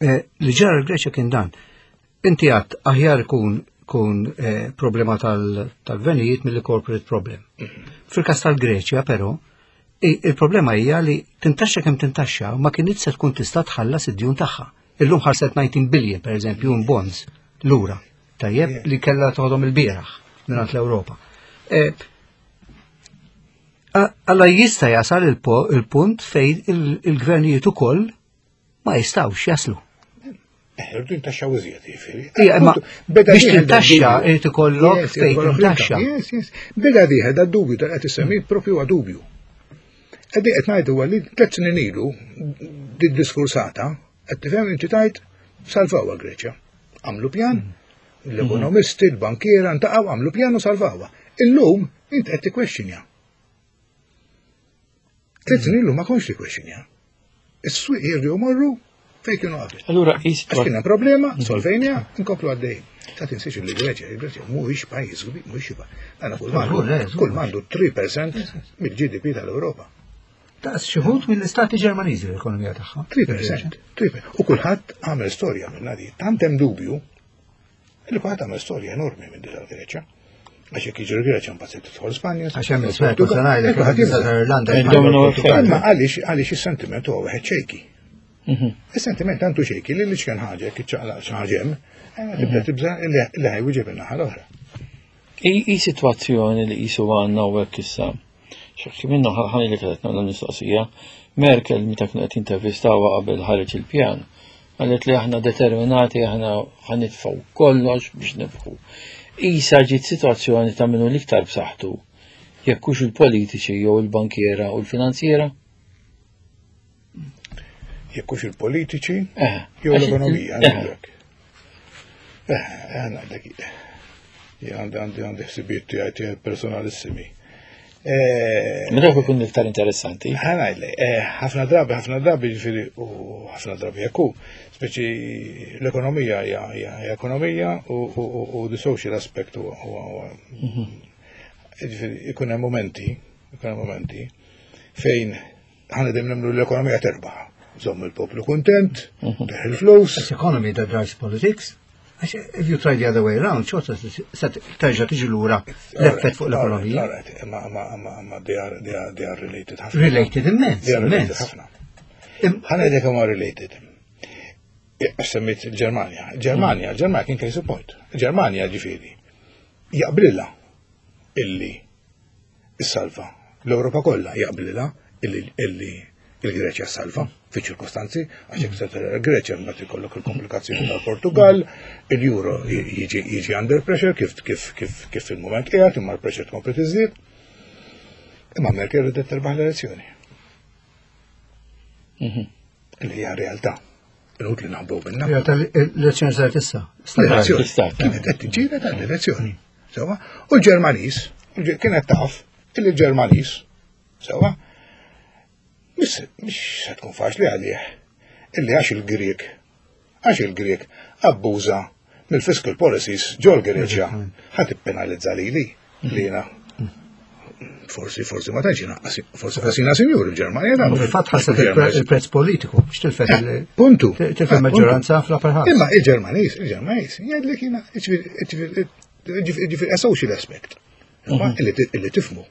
eh, li ġara l-Greċja kien dan. Inti għedt aħjar kun kun eh, problema tal-gvernijiet mill corporate problem. Fil-kas tal-Greċja, però, il-problema hija li tintaxxa kemm tintaxxa ma kienx se tkun tista' tħallas id-djun tagħha. Illum ħarset disa billion, per eżempju, in bonds lura. Tajjeb li kellha toħodhom il-bieraħ mingħand l-Ewropa. Eh, Alla jista' jasal il-punt fejn il-gvernijiet ukoll ma jistgħux jaslu. Irridu jintaxxaw iżjed, jiġifieri. Ija, biex tintaxxa irid ikollok fejn tintaxxa. Yes, yes. Beda dieħel da dubju tal qed issemmi propju huwa dubju. Qegħdin qed ngħidu li tliet snin ilu di diskursata qed tifhem inti tajt salvawha Greċja. Għamlu pjan, l-ekonomisti, l-bankiera ntaqgħu għamlu pjan u salvawha. Illum inti qed tikkwestjonja. Tliet snin ilu ma kontx tikkwestjonja. Is-swieq jerġgħu jmorru fejn kienu qabel. Allura, Għax kien hemm problema, solvejna, nkomplu għaddej. Ta' tinsiex li Greċja, il-Greċja mhuwiex pajjiż kbir, mhuwiex pajjiż. Kull m'għandu kull m'għandu tlieta fil-mija mill-G D P tal-Ewropa. Ta' xi wħud mill-istati Ġermaniżi l-ekonomija tagħha. tlieta fil-mija, tlieta fil-mija. U kulħadd għamel storja minn di. Tant hemm dubju li kulħadd għamel storja enormi minn din tal-Greċja. Għax jekk jiġri Greċja mbagħad se tidħol Spanja. Għax hemm l-Spanja, se ngħidlek, Irlanda. Imma għaliex għaliex is-sentiment huwa wieħed shaky. Is-sentiment tantu shaky li li xken ħaġa jekk iċċaqlaq xi ħaġa hemm, tibda tibża li ħa jwieġeb in-naħa l-oħra. I situazzjoni li jisu għandna u hekk issa. Xi minnu ħani li kienet nagħmel mistoqsija. Merkel meta kienu qed intervistawha qabel ħareġ il-pjan, qalet li aħna determinati, aħna ħa nitfgħu kollox biex nibħu. Isa ġiet situazzjoni ta' minnu l-iktar b'saħħtu, jekk hux il-politiċi jew il-bankiera u l-finanziera? Jekk hux il-politiċi Eh, jew għax- l-ekonomija, eh, ngħidlek. Eh, għandek għandi għandi għandi ħsibijiet tiegħi tiegħi personalissimi. Eh, Ma dak ikun iktar interessanti. Ħa ngħidlek, eh, ħafna drabi, ħafna drabi ġifieri u ħafna drabi jekku, speċi l-ekonomija hija hija hija ekonomija u u u- u the social aspect huwa huwa huwa- ġifieri ikun hemm momenti, ikun hemm momenti fejn ħana dejjem nemmnu l-ekonomija terbaħ. Żomm il-poplu kuntent, teħ il-flus. It's economy that drives politics. Għax if you try the other way around, xorta se terġa' tiġi lura l-effett fuq l-ekonomija. Alright, ma ma ma ma they are they are they are related ħafna. Related immens, They are related immens. ħafna. Im- Ħa ngħidlek huma related. Għax semmejt il-Ġermanja. Ġermanja, Ġermanja kien case in point. Ġermanja ġifieri jaqblilha illi issalva. L-Ewropa kollha jaqblilha illi illi il-Greċja salva fi ċirkostanzi, għax jekk se tara l-Greċja mbagħad ikollok il-komplikazzjoni tal-Portugal, il-Euro jiġi jiġi under pressure kif kif kif kif fil-moment qiegħed imma l-pressure tkompli tiżdied. Imma Merkel ridet terbaħ l-elezzjoni. Li hija realtà. Inutli naħbu minna. Realtà l-elezzjoni saret issa. L-elezzjoni. Istat. Kienet qed tiġġieled għall-elezzjoni. Sewwa? U l-Ġermaniż, kienet taf illi l-Ġermaniż, sewwa, mhix mhix se tkun faċli għalih illi għax il-Grieg, għax il-Grieg abbuża mill-fiscal policies ġol Greċja ħa tippenalizza lili li jiena forsi forsi ma tantx jiena forsi qasina sinjur il-Ġermanja dan. Fil-fatt ħasset il-prezz politiku biex tilfet il- Puntu. tilfet Ah, maġġoranza puntu. fl-upper house. Imma il-Ġermaniż, il-Ġermaniż, jgħidlek jiena, ġifieri, ġifieri, a social aspect. Imma illi illi tifmu.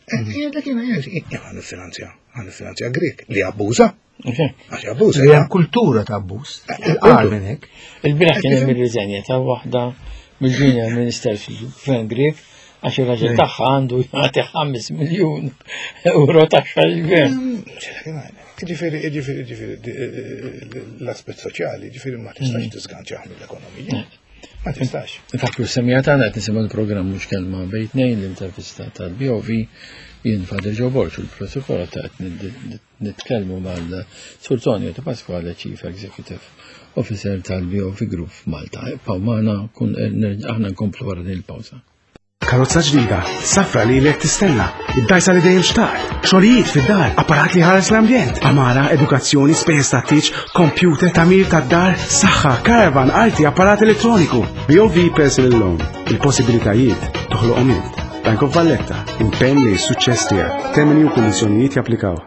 Jgħidlek jiena, jgħidlek, jgħidlek, niffinanzja, Ħa niffinanzja Grek li abbuża. Għax abbuża. Hija kultura ta' abbuż. Il-qar minn hekk. Il-bieraħ kien hemm ir-riżenja ta' waħda mill-junior minister fil-Gvern Grek għax ir-raġel tagħha għandu jagħti ħames miljun euro taxxa lill-gvern. Ġifieri, ġifieri, ġifieri, l-aspett soċjali, ġifieri ma tistax tisganċaħ mill-ekonomija. Ma tistax. Infakru s-semmiegħa tagħna qed nisimgħu l-programm Mhux Kelma Bejn Tnejn, l-intervista tal-B O V, jien Father Joe Borg u l-Professur ta' qed nitkellmu mal-Sur Tonio De Pasquale, Chief Executive Officer tal-B O V Group f'Malta. Ibqgħu magħna, kun aħna nkomplu wara din il-pawża. Karozza ġdida, safra li lek tistenna, id-dajsa li dejjem xtaqt, xogħlijiet fid-dar, apparat li ħares l-ambjent, għamara, edukazzjoni, spejjeż tat-tieġ, computer, tagħmir tad-dar, saħħa, caravan, arti, apparat elettroniku. B O V Personal Loan, il-possibilitajiet toħloqhom int. Bank of Valletta, impenn li s-suċċess tiegħek. Termini u kundizzjonijiet japplikaw.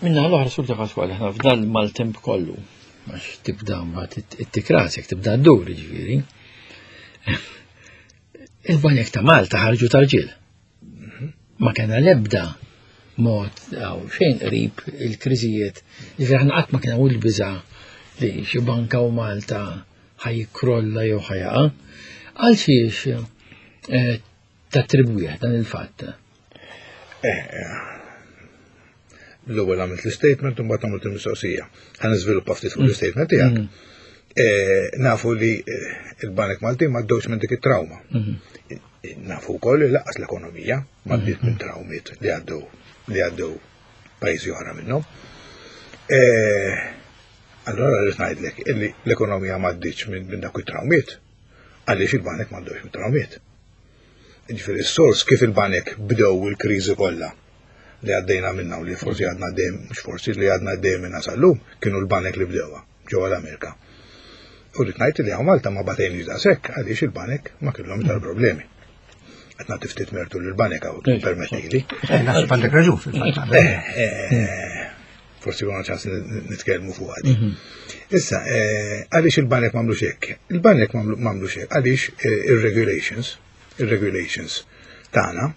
Minna l-oħra, Sur De Pasquale, aħna f'dal maltemp kollu, għax tibda mbagħad it-tikrasek, tibda ddur ġifieri. Il-banek ta' Malta ħarġu tarġil. Ma kena lebda mod għaw xejn qrib il-kriżijiet. Ġifieri aħna qatt ma kena u l-biża li xi banka u Malta ħa jikkrolla jew ħa jaqa'. Għal xiex eh, tattribwih dan il-fatt? Eh, l-ewwel għamilt l-statement u mbagħad għamilt il-mistoqsija. Ħa niżviluppa ftit fuq l-statement tiegħek. Eh, nafu li eh, il-Banek Maltin ma għaddewx minn dik it-trauma. Nafu wkoll li lanqas l-ekonomija ma għaddiet minn traumiet li għaddew li għaddew pajjiżi oħra minnhom. Eh, Allora rrid ngħidlek illi l-ekonomija ma għaddietx minn minn dak it-traumiet għaliex il-banek ma għaddewx minn traumiet. Ġifieri s-sors kif il-banek bdew il-kriżi kollha li għaddejna minna u li forsi għadna dejjem, mhux forsi, li għadna dejjem minna sal-lum, kienu l-banek li bdewha ġewwa l-Amerika. U rrid ngħid li hawn Malta ma batejniex daqshekk għaliex il-banek ma kellhom tal problemi. Qed nagħti ftit mertu lill-banek hawn, permettili. Eh, naħseb għandek raġun fil-fatt. Eh, Forsi għandna ċans nitkellmu fuq għadi. Issa, eh, għaliex il-banek m'għamlux hekk? Il-banek m'għamlux hekk għaliex eh, il-regulations, il-regulations tagħna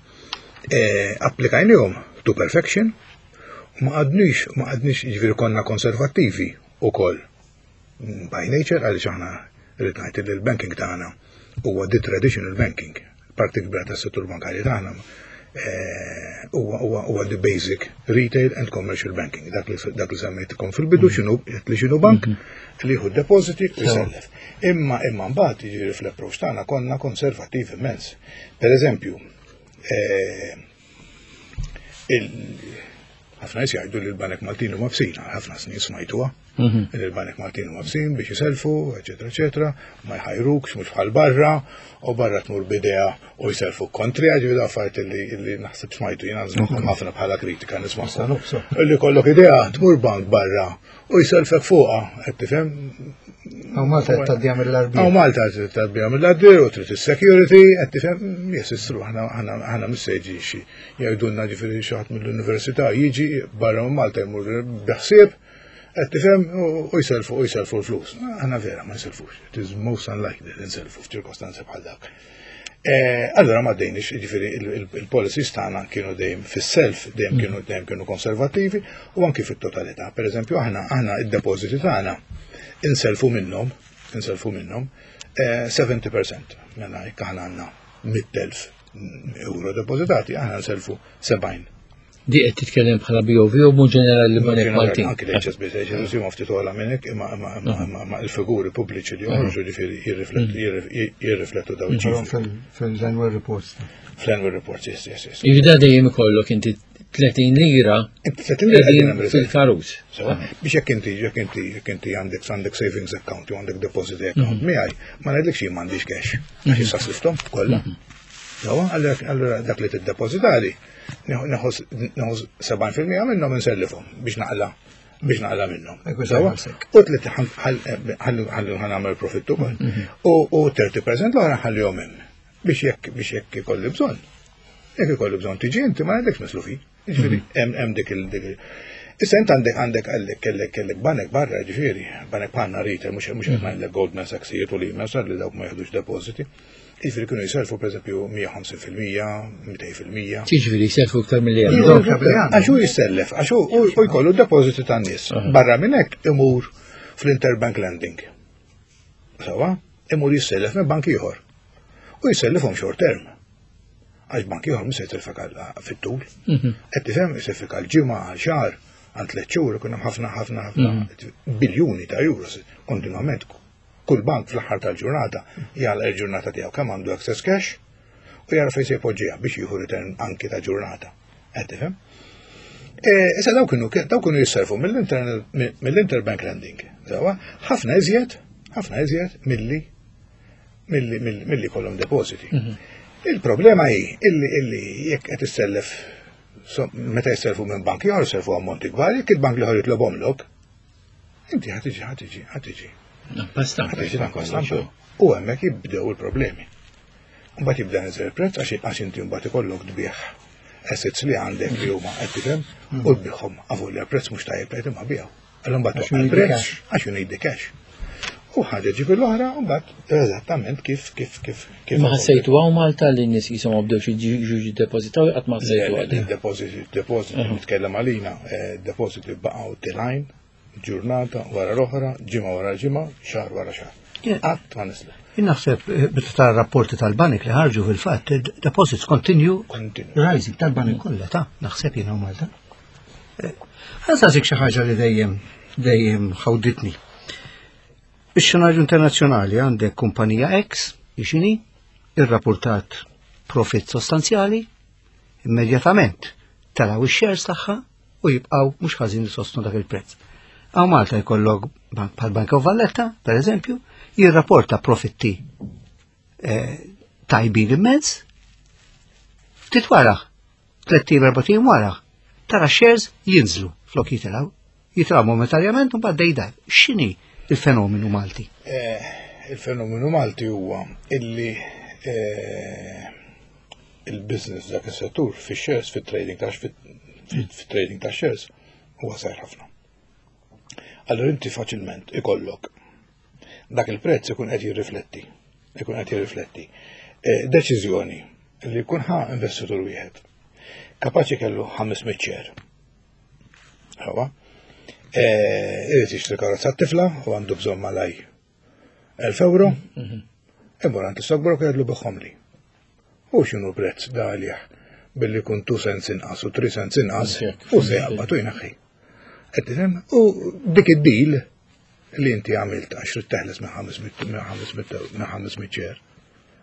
eh, applikajnihom to perfection u ma għadniex, ma għadniex, ġifieri konna konservattivi ukoll by nature, għaliex aħna rrid ngħid li l-banking tagħna huwa the traditional banking. Parti kbira tas-settur bankarju tagħna eh, huwa huwa huwa the basic retail and commercial banking. Dak li dak li semmejtkom fil-bidu x'inhu li x'inhu bank li jieħu depositi u jsellef. Imma imma mbagħad, jiġifieri, fl-approach tagħna konna konservattiv immens. Per eżempju, eh, il- ħafna nies jgħidu li l-Banek Maltin huma bsin, ħafna snin smajtuha. Li l-Banek Maltin huma bsin biex jiselfu, eċetera, eċetera, ma jħajrukx, mhux bħal barra, u barra tmur b'idea u jiselfu kontra, ġifieri affarijiet li li naħseb smajtu jiena ħafna bħala kritika nisma'. Li kollok idea, tmur bank barra u jiselfek fuqha, qed tifhem? Hawn Malta qed tgħaddiha mill-għarbiel. Hawn Malta tgħaddiha mill-għarbiel u trid is-security, qed tifhem, jesistru, aħna aħna missejġi xi jgħidulna, ġifieri, xi ħadd mill-università jiġi barra minn Malta jmur biħsieb, qed tifhem, u jiselfu u jiselfu l-flus. Aħna vera ma jiselfux. It is most unlikely li nselfu f'ċirkostanzi bħal dak. Eh, allora ma dejnix, ġifieri il-policies tagħna kienu dejjem fis-self, dejjem kienu dejjem kienu konservattivi u anki fit-totalità. Per eżempju, aħna aħna id-depożiti tagħna inselfu minnhom, inselfu minnhom eh, sebgħin fil-mija. Mela jekk aħna għandna mitt elf euro depożitati, aħna nselfu sebgħin. Di qed titkellem bħala B O V u mhux ġenerali li banek Maltin? Anki l-H S B C, H S B C ma ftit ogħla minn hekk, imma imma imma imma il-figuri pubbliċi li joħorġu, ġifieri, jirriflettu daw iċ-ċifri. Fil-annual reports. Fl-annual reports, yes, yes, yes. Jibda dejjem ikollok inti tletin lira tletin lira qegħdin fil-karus. Biex jekk inti jekk inti jekk inti għandek għandek savings account jew għandek deposit account miegħi, ma ngħidlekx jien m'għandix cash. Għax issa slifthom kollha. Sewwa, allura dak li tiddepożitali nieħu sebgħin fil-mija minnhom insellifhom biex naqla biex naqla minnhom. Sewwa? U tliet ħalli ħa nagħmel profittu ukoll. U tletin fil-mija l-oħra ħallihom hemm biex jekk biex jekk ikolli bżonn. Jekk ikolli bżonn tiġi inti, ma ngħidlekx mislufin. Ġifieri hemm hemm dik il dik Issa int għandek għandek għallek kellek kellek banek barra, ġifieri, banek bħalna retail, mhux mhux qed ngħidlek Goldman Sachs u Lehman li dawk ma jieħdux depositi. Jiġifieri kienu jiselfu pereżempju mija u ħamsin fil-mija, mitejn fil-mija. Ġifieri jiselfu iktar milli għandhom. Għax hu jissellef, għax hu u jkollu depositi tan-nies. Barra minn hekk imur fl-interbank lending. Sawa, imur jissellef minn bank ieħor. U jissellifhom short term. Għax bank ieħor mhux se jitlifek fit-tul. Qed tifhem, jisellfek għal ġimgħa, għal xahar, għal tliet xhur, ikun hemm ħafna, ħafna, ħafna biljuni ta' euros kontinwament. Kull bank fl-aħħar tal-ġurnata jagħlaq il-ġurnata tiegħu kemm għandu excess cash u jara fejn se jpoġġiha biex jieħu return anki ta' ġurnata. Qed tifhem? E, issa daw kienu daw kienu jisserfu mill-interbank lending. Sawa, ħafna iżjed, ħafna iżjed milli milli milli kollhom depositi. Il-problema hi illi illi jekk qed issellef, meta jisselfu minn bank ieħor jisselfu ammonti kbar, jekk il-bank l-ieħor jitlobhomlok, inti ħa tiġi ħa tiġi ħa tiġi. Stampa. Ħa tiġi stampa. U hemmhekk jibdew il-problemi. Mbagħad jibda jinżel il-prezz għax għax inti mbagħad ikollok tbigħ assets li għandek li huma, qed tifhem, u tbigħhom avolja prezz mhux tajjeb qed imma biegħu. Allura mbagħad Għax you need the il-prezz cash. għax you need the cash. U ħaġa ġib l-oħra u mbagħad eżattament kif kif kif kif. Ma ħassejtu hawn Malta li n-nies jisom bdew xi ġuġi depositaw, qatt ma ħassejtu għadi? Deposit, deposit, nitkellem għalina, eh, deposit baqgħu telgħin, ġurnata wara l-oħra, ġimgħa wara ġimgħa, xahar wara xahar. Qatt ma niżlu. Jien naħseb eh, meta tara rapporti tal-banek li ħarġu fil-fatt, deposits continue Continue. rising tal-banek kollha ta' naħseb jiena u Malta. Ħa nsaqsik xi ħaġa li dejjem dejjem ħawditni. Ix-xenarju internazzjonali għandek kumpanija X, ixini, irrapportat profit sostanzjali, immedjatament telaw ix-shares tagħha u jibqgħu mhux ħażin sostnu dak il-prezz. Hawn Malta jkollok bank bħal Bank of Valletta, per eżempju, jirrapporta profitti eh, tajbin immens, ftit wara, tlett ijiem, erbat ijiem wara, tara shares jinżlu flok jitilgħu, jitilgħu momentarjament u mbagħad dejda. X'inhi il-fenomenu Malti? Eh, Il-fenomenu Malti huwa illi eh, il-business dak is-settur fi-shares, fit-trading ta' fit-trading ta' shares huwa żgħir ħafna. Allora inti faċilment ikollok dak il-prezz ikun qed jirrifletti, ikun qed jirrifletti eh, deċiżjoni li jkun ħa investitur wieħed. Kapaċi kellu ħames mitt share. Ħawa. Eh, Irid jixtri karozza tifla u għandu bżonn malaj elf euro. Imur għand l-stockbroker, jgħidlu: "Bigħhomli." U x'inhu prezz da għalih billi kun two cents inqas u three cents inqas u se jaqbad u jnaħħi. Qed tifhem? U dik id-deal li inti għamilt għax trid teħles minn ħames mitt minn ħames mitt minn ħames mitt share.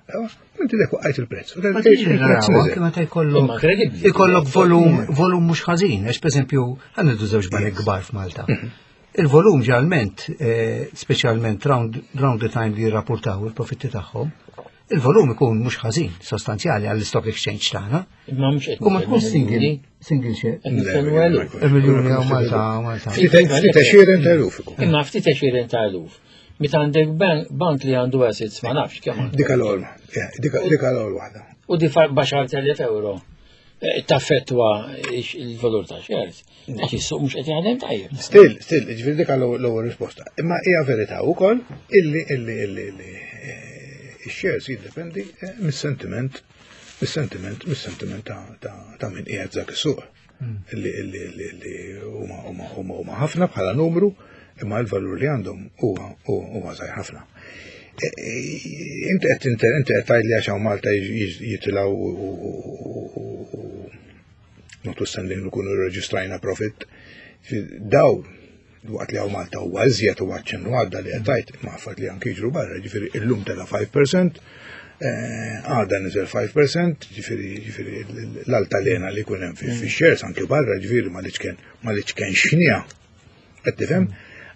Ewa, inti dek waqqajt il-prezz. U Ma il-prezz tiġi naraw, niżel. anke meta jkollok Imma kredibbli. ikollok volum volum mhux ħażin, għax pereżempju ħa nieħdu żewġ banek kbar f'Malta. Il-volum ġalment, eh, speċjalment round, round the time li jirrapportaw il-profitti tagħhom, il-volum ikun mhux ħażin, sostanzjali għall-stock exchange tagħna. Imma mhux qed U ma tkun single, single share. Qed nitkellmu eluf. Il-miljuni hawn Malta, Malta. Ftit ftit għexieren ta' eluf ikun. Imma ftit għexieren ta' eluf. Meta għandek bank bank li għandu assets ma nafx kemm għandu. Dik l-ewwel, dik l-ewwel waħda. U di b'għaxart elef euro eh, taffettwa il-valur ta' shares. Għax is-suq mhux qed jaħdem tajjeb. Still, still, ġifieri dik l-ewwel risposta. Imma hija verità wkoll illi illi illi illi eh, ix-shares jiddependi eh, mis-sentiment mis-sentiment mis-sentiment ta' ta' ta' min qiegħed dak is-suq. Illi illi illi illi huma huma huma huma ħafna bħala numru, imma l-valur li għandhom huwa huwa żgħir ħafna. Eh, eh, Inti qed inti inti qed tgħidli għax hawn Malta jitilgħu notwithstanding li kunu reġistrajna profit. Daw, waqt li hawn Malta huwa iżjed u għadċen għadda li għattajt, ma affat li anki jiġru barra, ġifieri illum tela ħamsa fil-mija, eh, għada niżel ħamsa fil-mija, ġifieri ġifieri l-altalena li kunem fi fi shares anki barra, ġifieri ma liċken ma liċken xnija. Qed tifhem?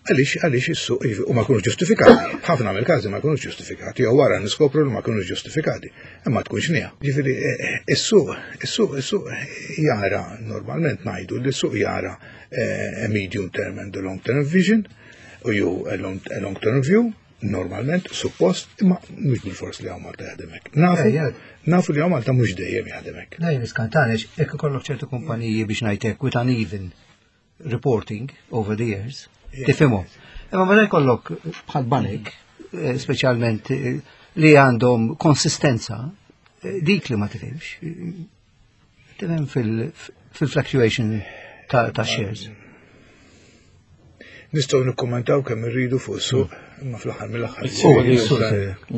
Għaliex għaliex is-suq u ma jkunux ġustifikati. Ħafna mill-każi ma jkunux ġustifikati, jew wara niskopru li ma jkunux ġustifikati, imma tkun xnija. Ġifieri eh, eh, is-suq is-suq is-suq jara, normalment ngħidu li s-suq jara eh, a medium term and a long term vision u jew a long, a long term view, normalment, suppost, imma mhux bil-fors li hawn Malta jaħdem hekk. Nafu, Eh, ja. nafu li hawn Malta mhux dejjem jaħdem hekk. Dejjem iskantanex, jekk ikollok ċertu kumpaniji, biex ngħidlek, with uneven reporting over the years, tifhimhom. Imma meta jkollok bħal banek, eh, speċjalment eh, li għandhom konsistenza, dik li ma tifhimx. Tifhem fil-fluctuation ta' shares. Nistgħu nikkommentaw kemm irridu fuq is-suq, imma fl-aħħar mill-aħħar.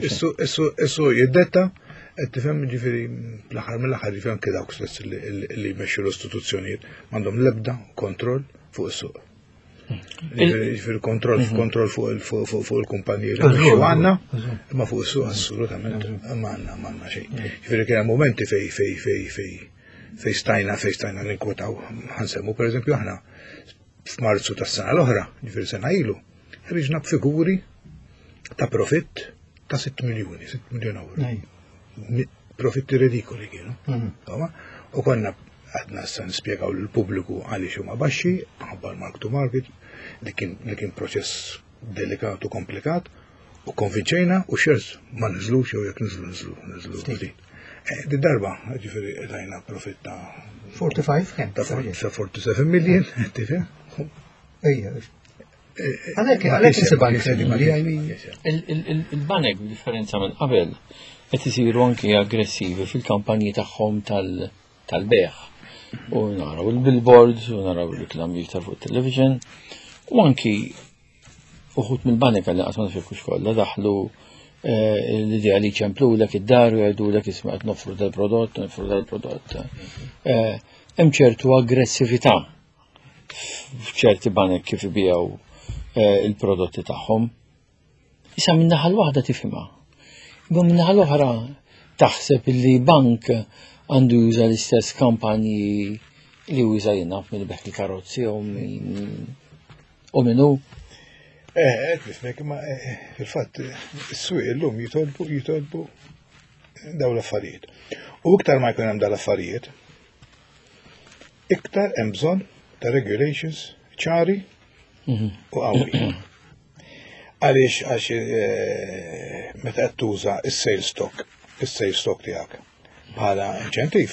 Is-suq jiddetta, qed tifhem, ġifieri fl-aħħar mill-aħħar, ġifieri anke dawk stess li jmexxu l-istituzzjonijiet m'għandhom l-ebda kontroll fuq is-suq. Ġifieri kontroll kontroll fuq il-kumpaniji li jmexxu għandna, imma fuq is-suq assolutament ma għandna ma għandna xejn. Ġifieri kien hemm momenti fej fej fej fej fej stajna fej stajna ninkwetaw. Ħa nsemmu pereżempju, aħna f'Marzu tas-sena l-oħra, ġifieri sena ilu, ħriġna b'figuri ta' profitt ta' sitt miljuni, sitt miljun euro. Profitti ridikoli kienu. U konna għadna issa nispjegaw lill-pubbliku għaliex huma baxxi, ħabba l-mark to market, li kien proċess delikat u komplikat, u konvinċejna u shares ma niżlux, jew jekk niżlu, niżlu, niżlu ftit. Di darba, ġifieri tajna profitt ta' quaranta-cinque kemm? Ta' quarantasette million, tifhem? Ejja. Għalhekk għalhekk insibha inkredibbli, I mean. Il-banek, b'differenza minn qabel, qed isiru anki aggressivi fil-kampanji tagħhom tal-bejgħ. U naraw il-billboards, u naraw il-reklami iktar fuq television, u anki uħud mill-banek, għalli qatt ma naf kollha, daħlu l-idea li ċemplulek id-dar u jgħidulek, "Isma', qed noffru dal-prodott, noffru dal-prodott." Hemm ċertu aggressività f'ċerti banek kif ibijaw il-prodotti tagħhom. Issa minn naħa l-waħda tifhimha. Imma minn naħa l-oħra taħseb li bank għandu juża l-istess kampanji li juża jiena min ibigħ il-karozzi u min u minnu. Eh, nifhmek, ma fil-fatt is-swieq illum jitolbu jitolbu daw l-affarijiet. U iktar ma jkun hemm dal-affarijiet, iktar hemm bżonn ta' regulations ċari u qawwi. Għaliex, għax meta qed tuża is-sales stock, is-sales stock tiegħek bħala inċentiv.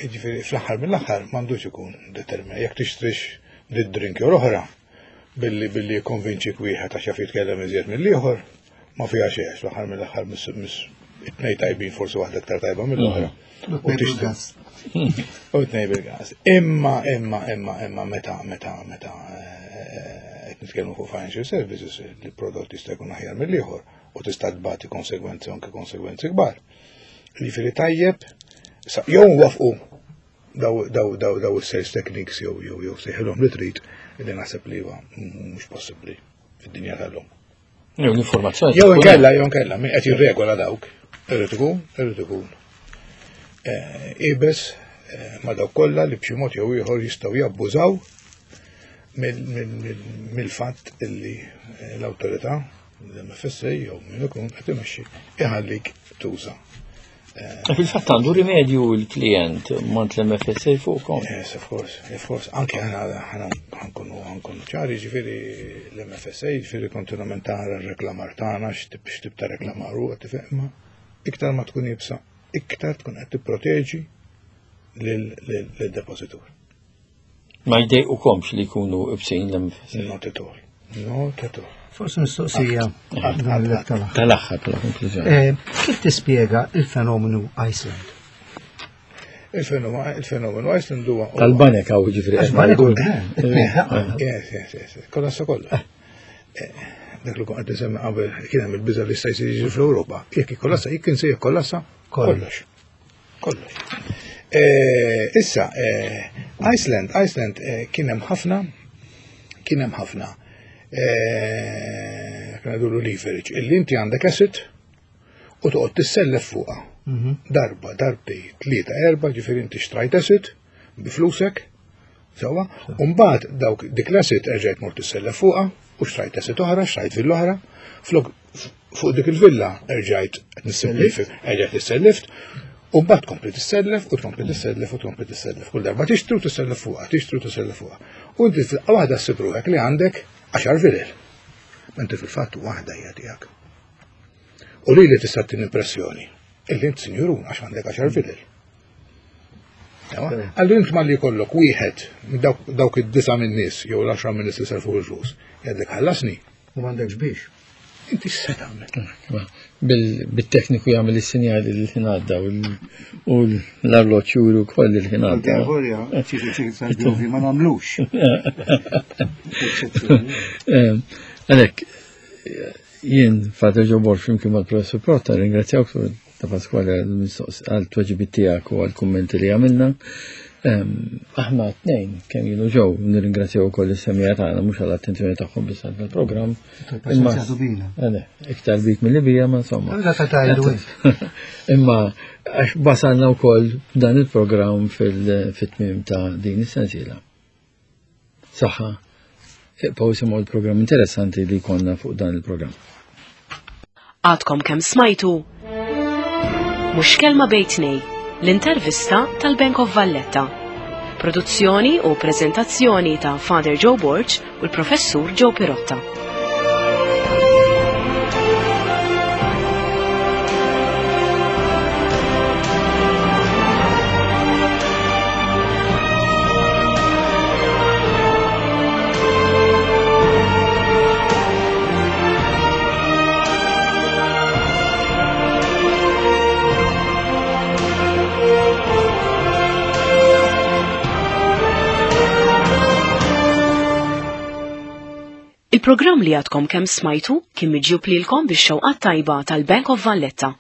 Jiġifieri fl-aħħar mill-aħħar m'għandux ikun determinat jekk tixtrix did-drink jew oħra billi billi konvinċik wieħed għax jaf jitkellem iżjed mill-ieħor, ma fiha xejn, fl-aħħar mill-aħħar miss it-tnejn tajbin, forsi waħda iktar tajba mill-oħra. U tixtri. U tnej bil-gas. Imma, imma, imma, imma, meta, meta, meta qed nitkellmu fuq financial services, li prodott jista' jkun aħjar mill-ieħor u tista' tbati konsegwenzi, anke konsegwenzi kbar. Jiġifieri tajjeb, jew wafqu daw daw daw daw is-sales techniques jew jew jew sejħilhom li trid, li naħseb li huwa mhux possibbli fid-dinja tal-lum. Jew l-informazzjoni. Jew inkella, jew inkella, min qed jirregola dawk, irid ikun, irid ikun iebes ma' dawk kollha li b'xi mod jew ieħor jistgħu jabbużaw mill-fatt illi l-awtorità, l-M F S A jew min ikun qed imexxi, iħallik tuża. Fil-fatt għandu rimedju l-klient mant l-M F S A fuqkom. Yes, of course, of course. Anke ħana ħana ħa nkunu ħa nkunu ċari, ġifieri l-M F S A, ġifieri kontinuament tara r-reklamar tagħna, x'tip ta' reklamar huwa, tifhem, iktar ma tkun iebsa, iktar tkun qed tipproteġi lil-depositur. Ma jdejqukomx li jkunu ibsin l-M F S A? Not at all. Not at all. Forsi mistoqsija tal-aħħar. Tal-aħħar, tal-konklużjoni. Kif tispjega il-fenomenu Iceland? Il-fenomenu il-fenomenu Iceland huwa Tal-banek għaw, ġifieri. Għax banek u Yes, yes, yes. Kollassa kollha. Dak li kont qed qabel, kien hemm il-biża' li sta jsir jiġri fl-Ewropa. Jekk ikkollassa, jekk kien se jikkollassa kollox. Kollox. Issa, Iceland, Iceland kien hemm ħafna, kien hemm ħafna kien għadulu leverage, illi inti għandek asset u toqgħod tissellef fuqha. Darba, darbtej, tlieta, erba, ġifieri inti xtrajt asset bi flusek, sewwa, u mbagħad dawk dik l-asset erġajt mort tissellef fuqha u xtrajt asset oħra, xtrajt villa oħra, flok fuq dik il-villa erġajt nissimplifik, erġajt tissellift, u mbagħad tkompli tissellef u tkompli tissellef u tkompli tissellef. Kull darba tixtri u tissellef fuqha, tixtri u tissellef fuqha. U inti fil waħda ssib ruħek li għandek għaxar vilel. Inti fil-fatt waħda hija tiegħek. U li li tista' tin impressjoni illi int sinjurun għax għandek għaxar vilel. Allura int malli jkollok wieħed minn dawk id-disa' minn nies jew l-għaxra minn nies li selfu l-flus, jgħidlek, "Ħallasni." U m'għandekx biex. Inti x'se tagħmel? Bil-tekniku jagħmel is-sinjali li l-ħin għadda u l-arloġġ juru wkoll il-ħin għadda. Ma nagħmlux. Għalhekk jien Father Joe Borg flimkien mal-Professur Pirotta ringrazzjawk ta' Pasquale għal tweġibiet tiegħek u għall-kummenti li għamilna. Aħna tnejn kemm jienu ġew nirringrazzjaw ukoll is-semija tagħna mhux għall-attenzjoni tagħhom biss għall-programm. Imma iktar bik milli bija ma insomma. Imma għax wasalna wkoll dan il-programm fil-tmiem ta' din is-sensiela. Saħħa, ibqgħu isimgħu l-programm interessanti li konna fuq dan il-programm. Għadkom kemm smajtu Mhux Kelma Bejn Tnejn, l-intervista tal-Bank of Valletta. Produzzjoni u prezentazzjoni ta' Father Joe Borg u l-Professur Joe Pirotta. Il-programm li għadkom kemm smajtu kien miġjub lilkom bix-xewqat tajba tal-Bank of Valletta.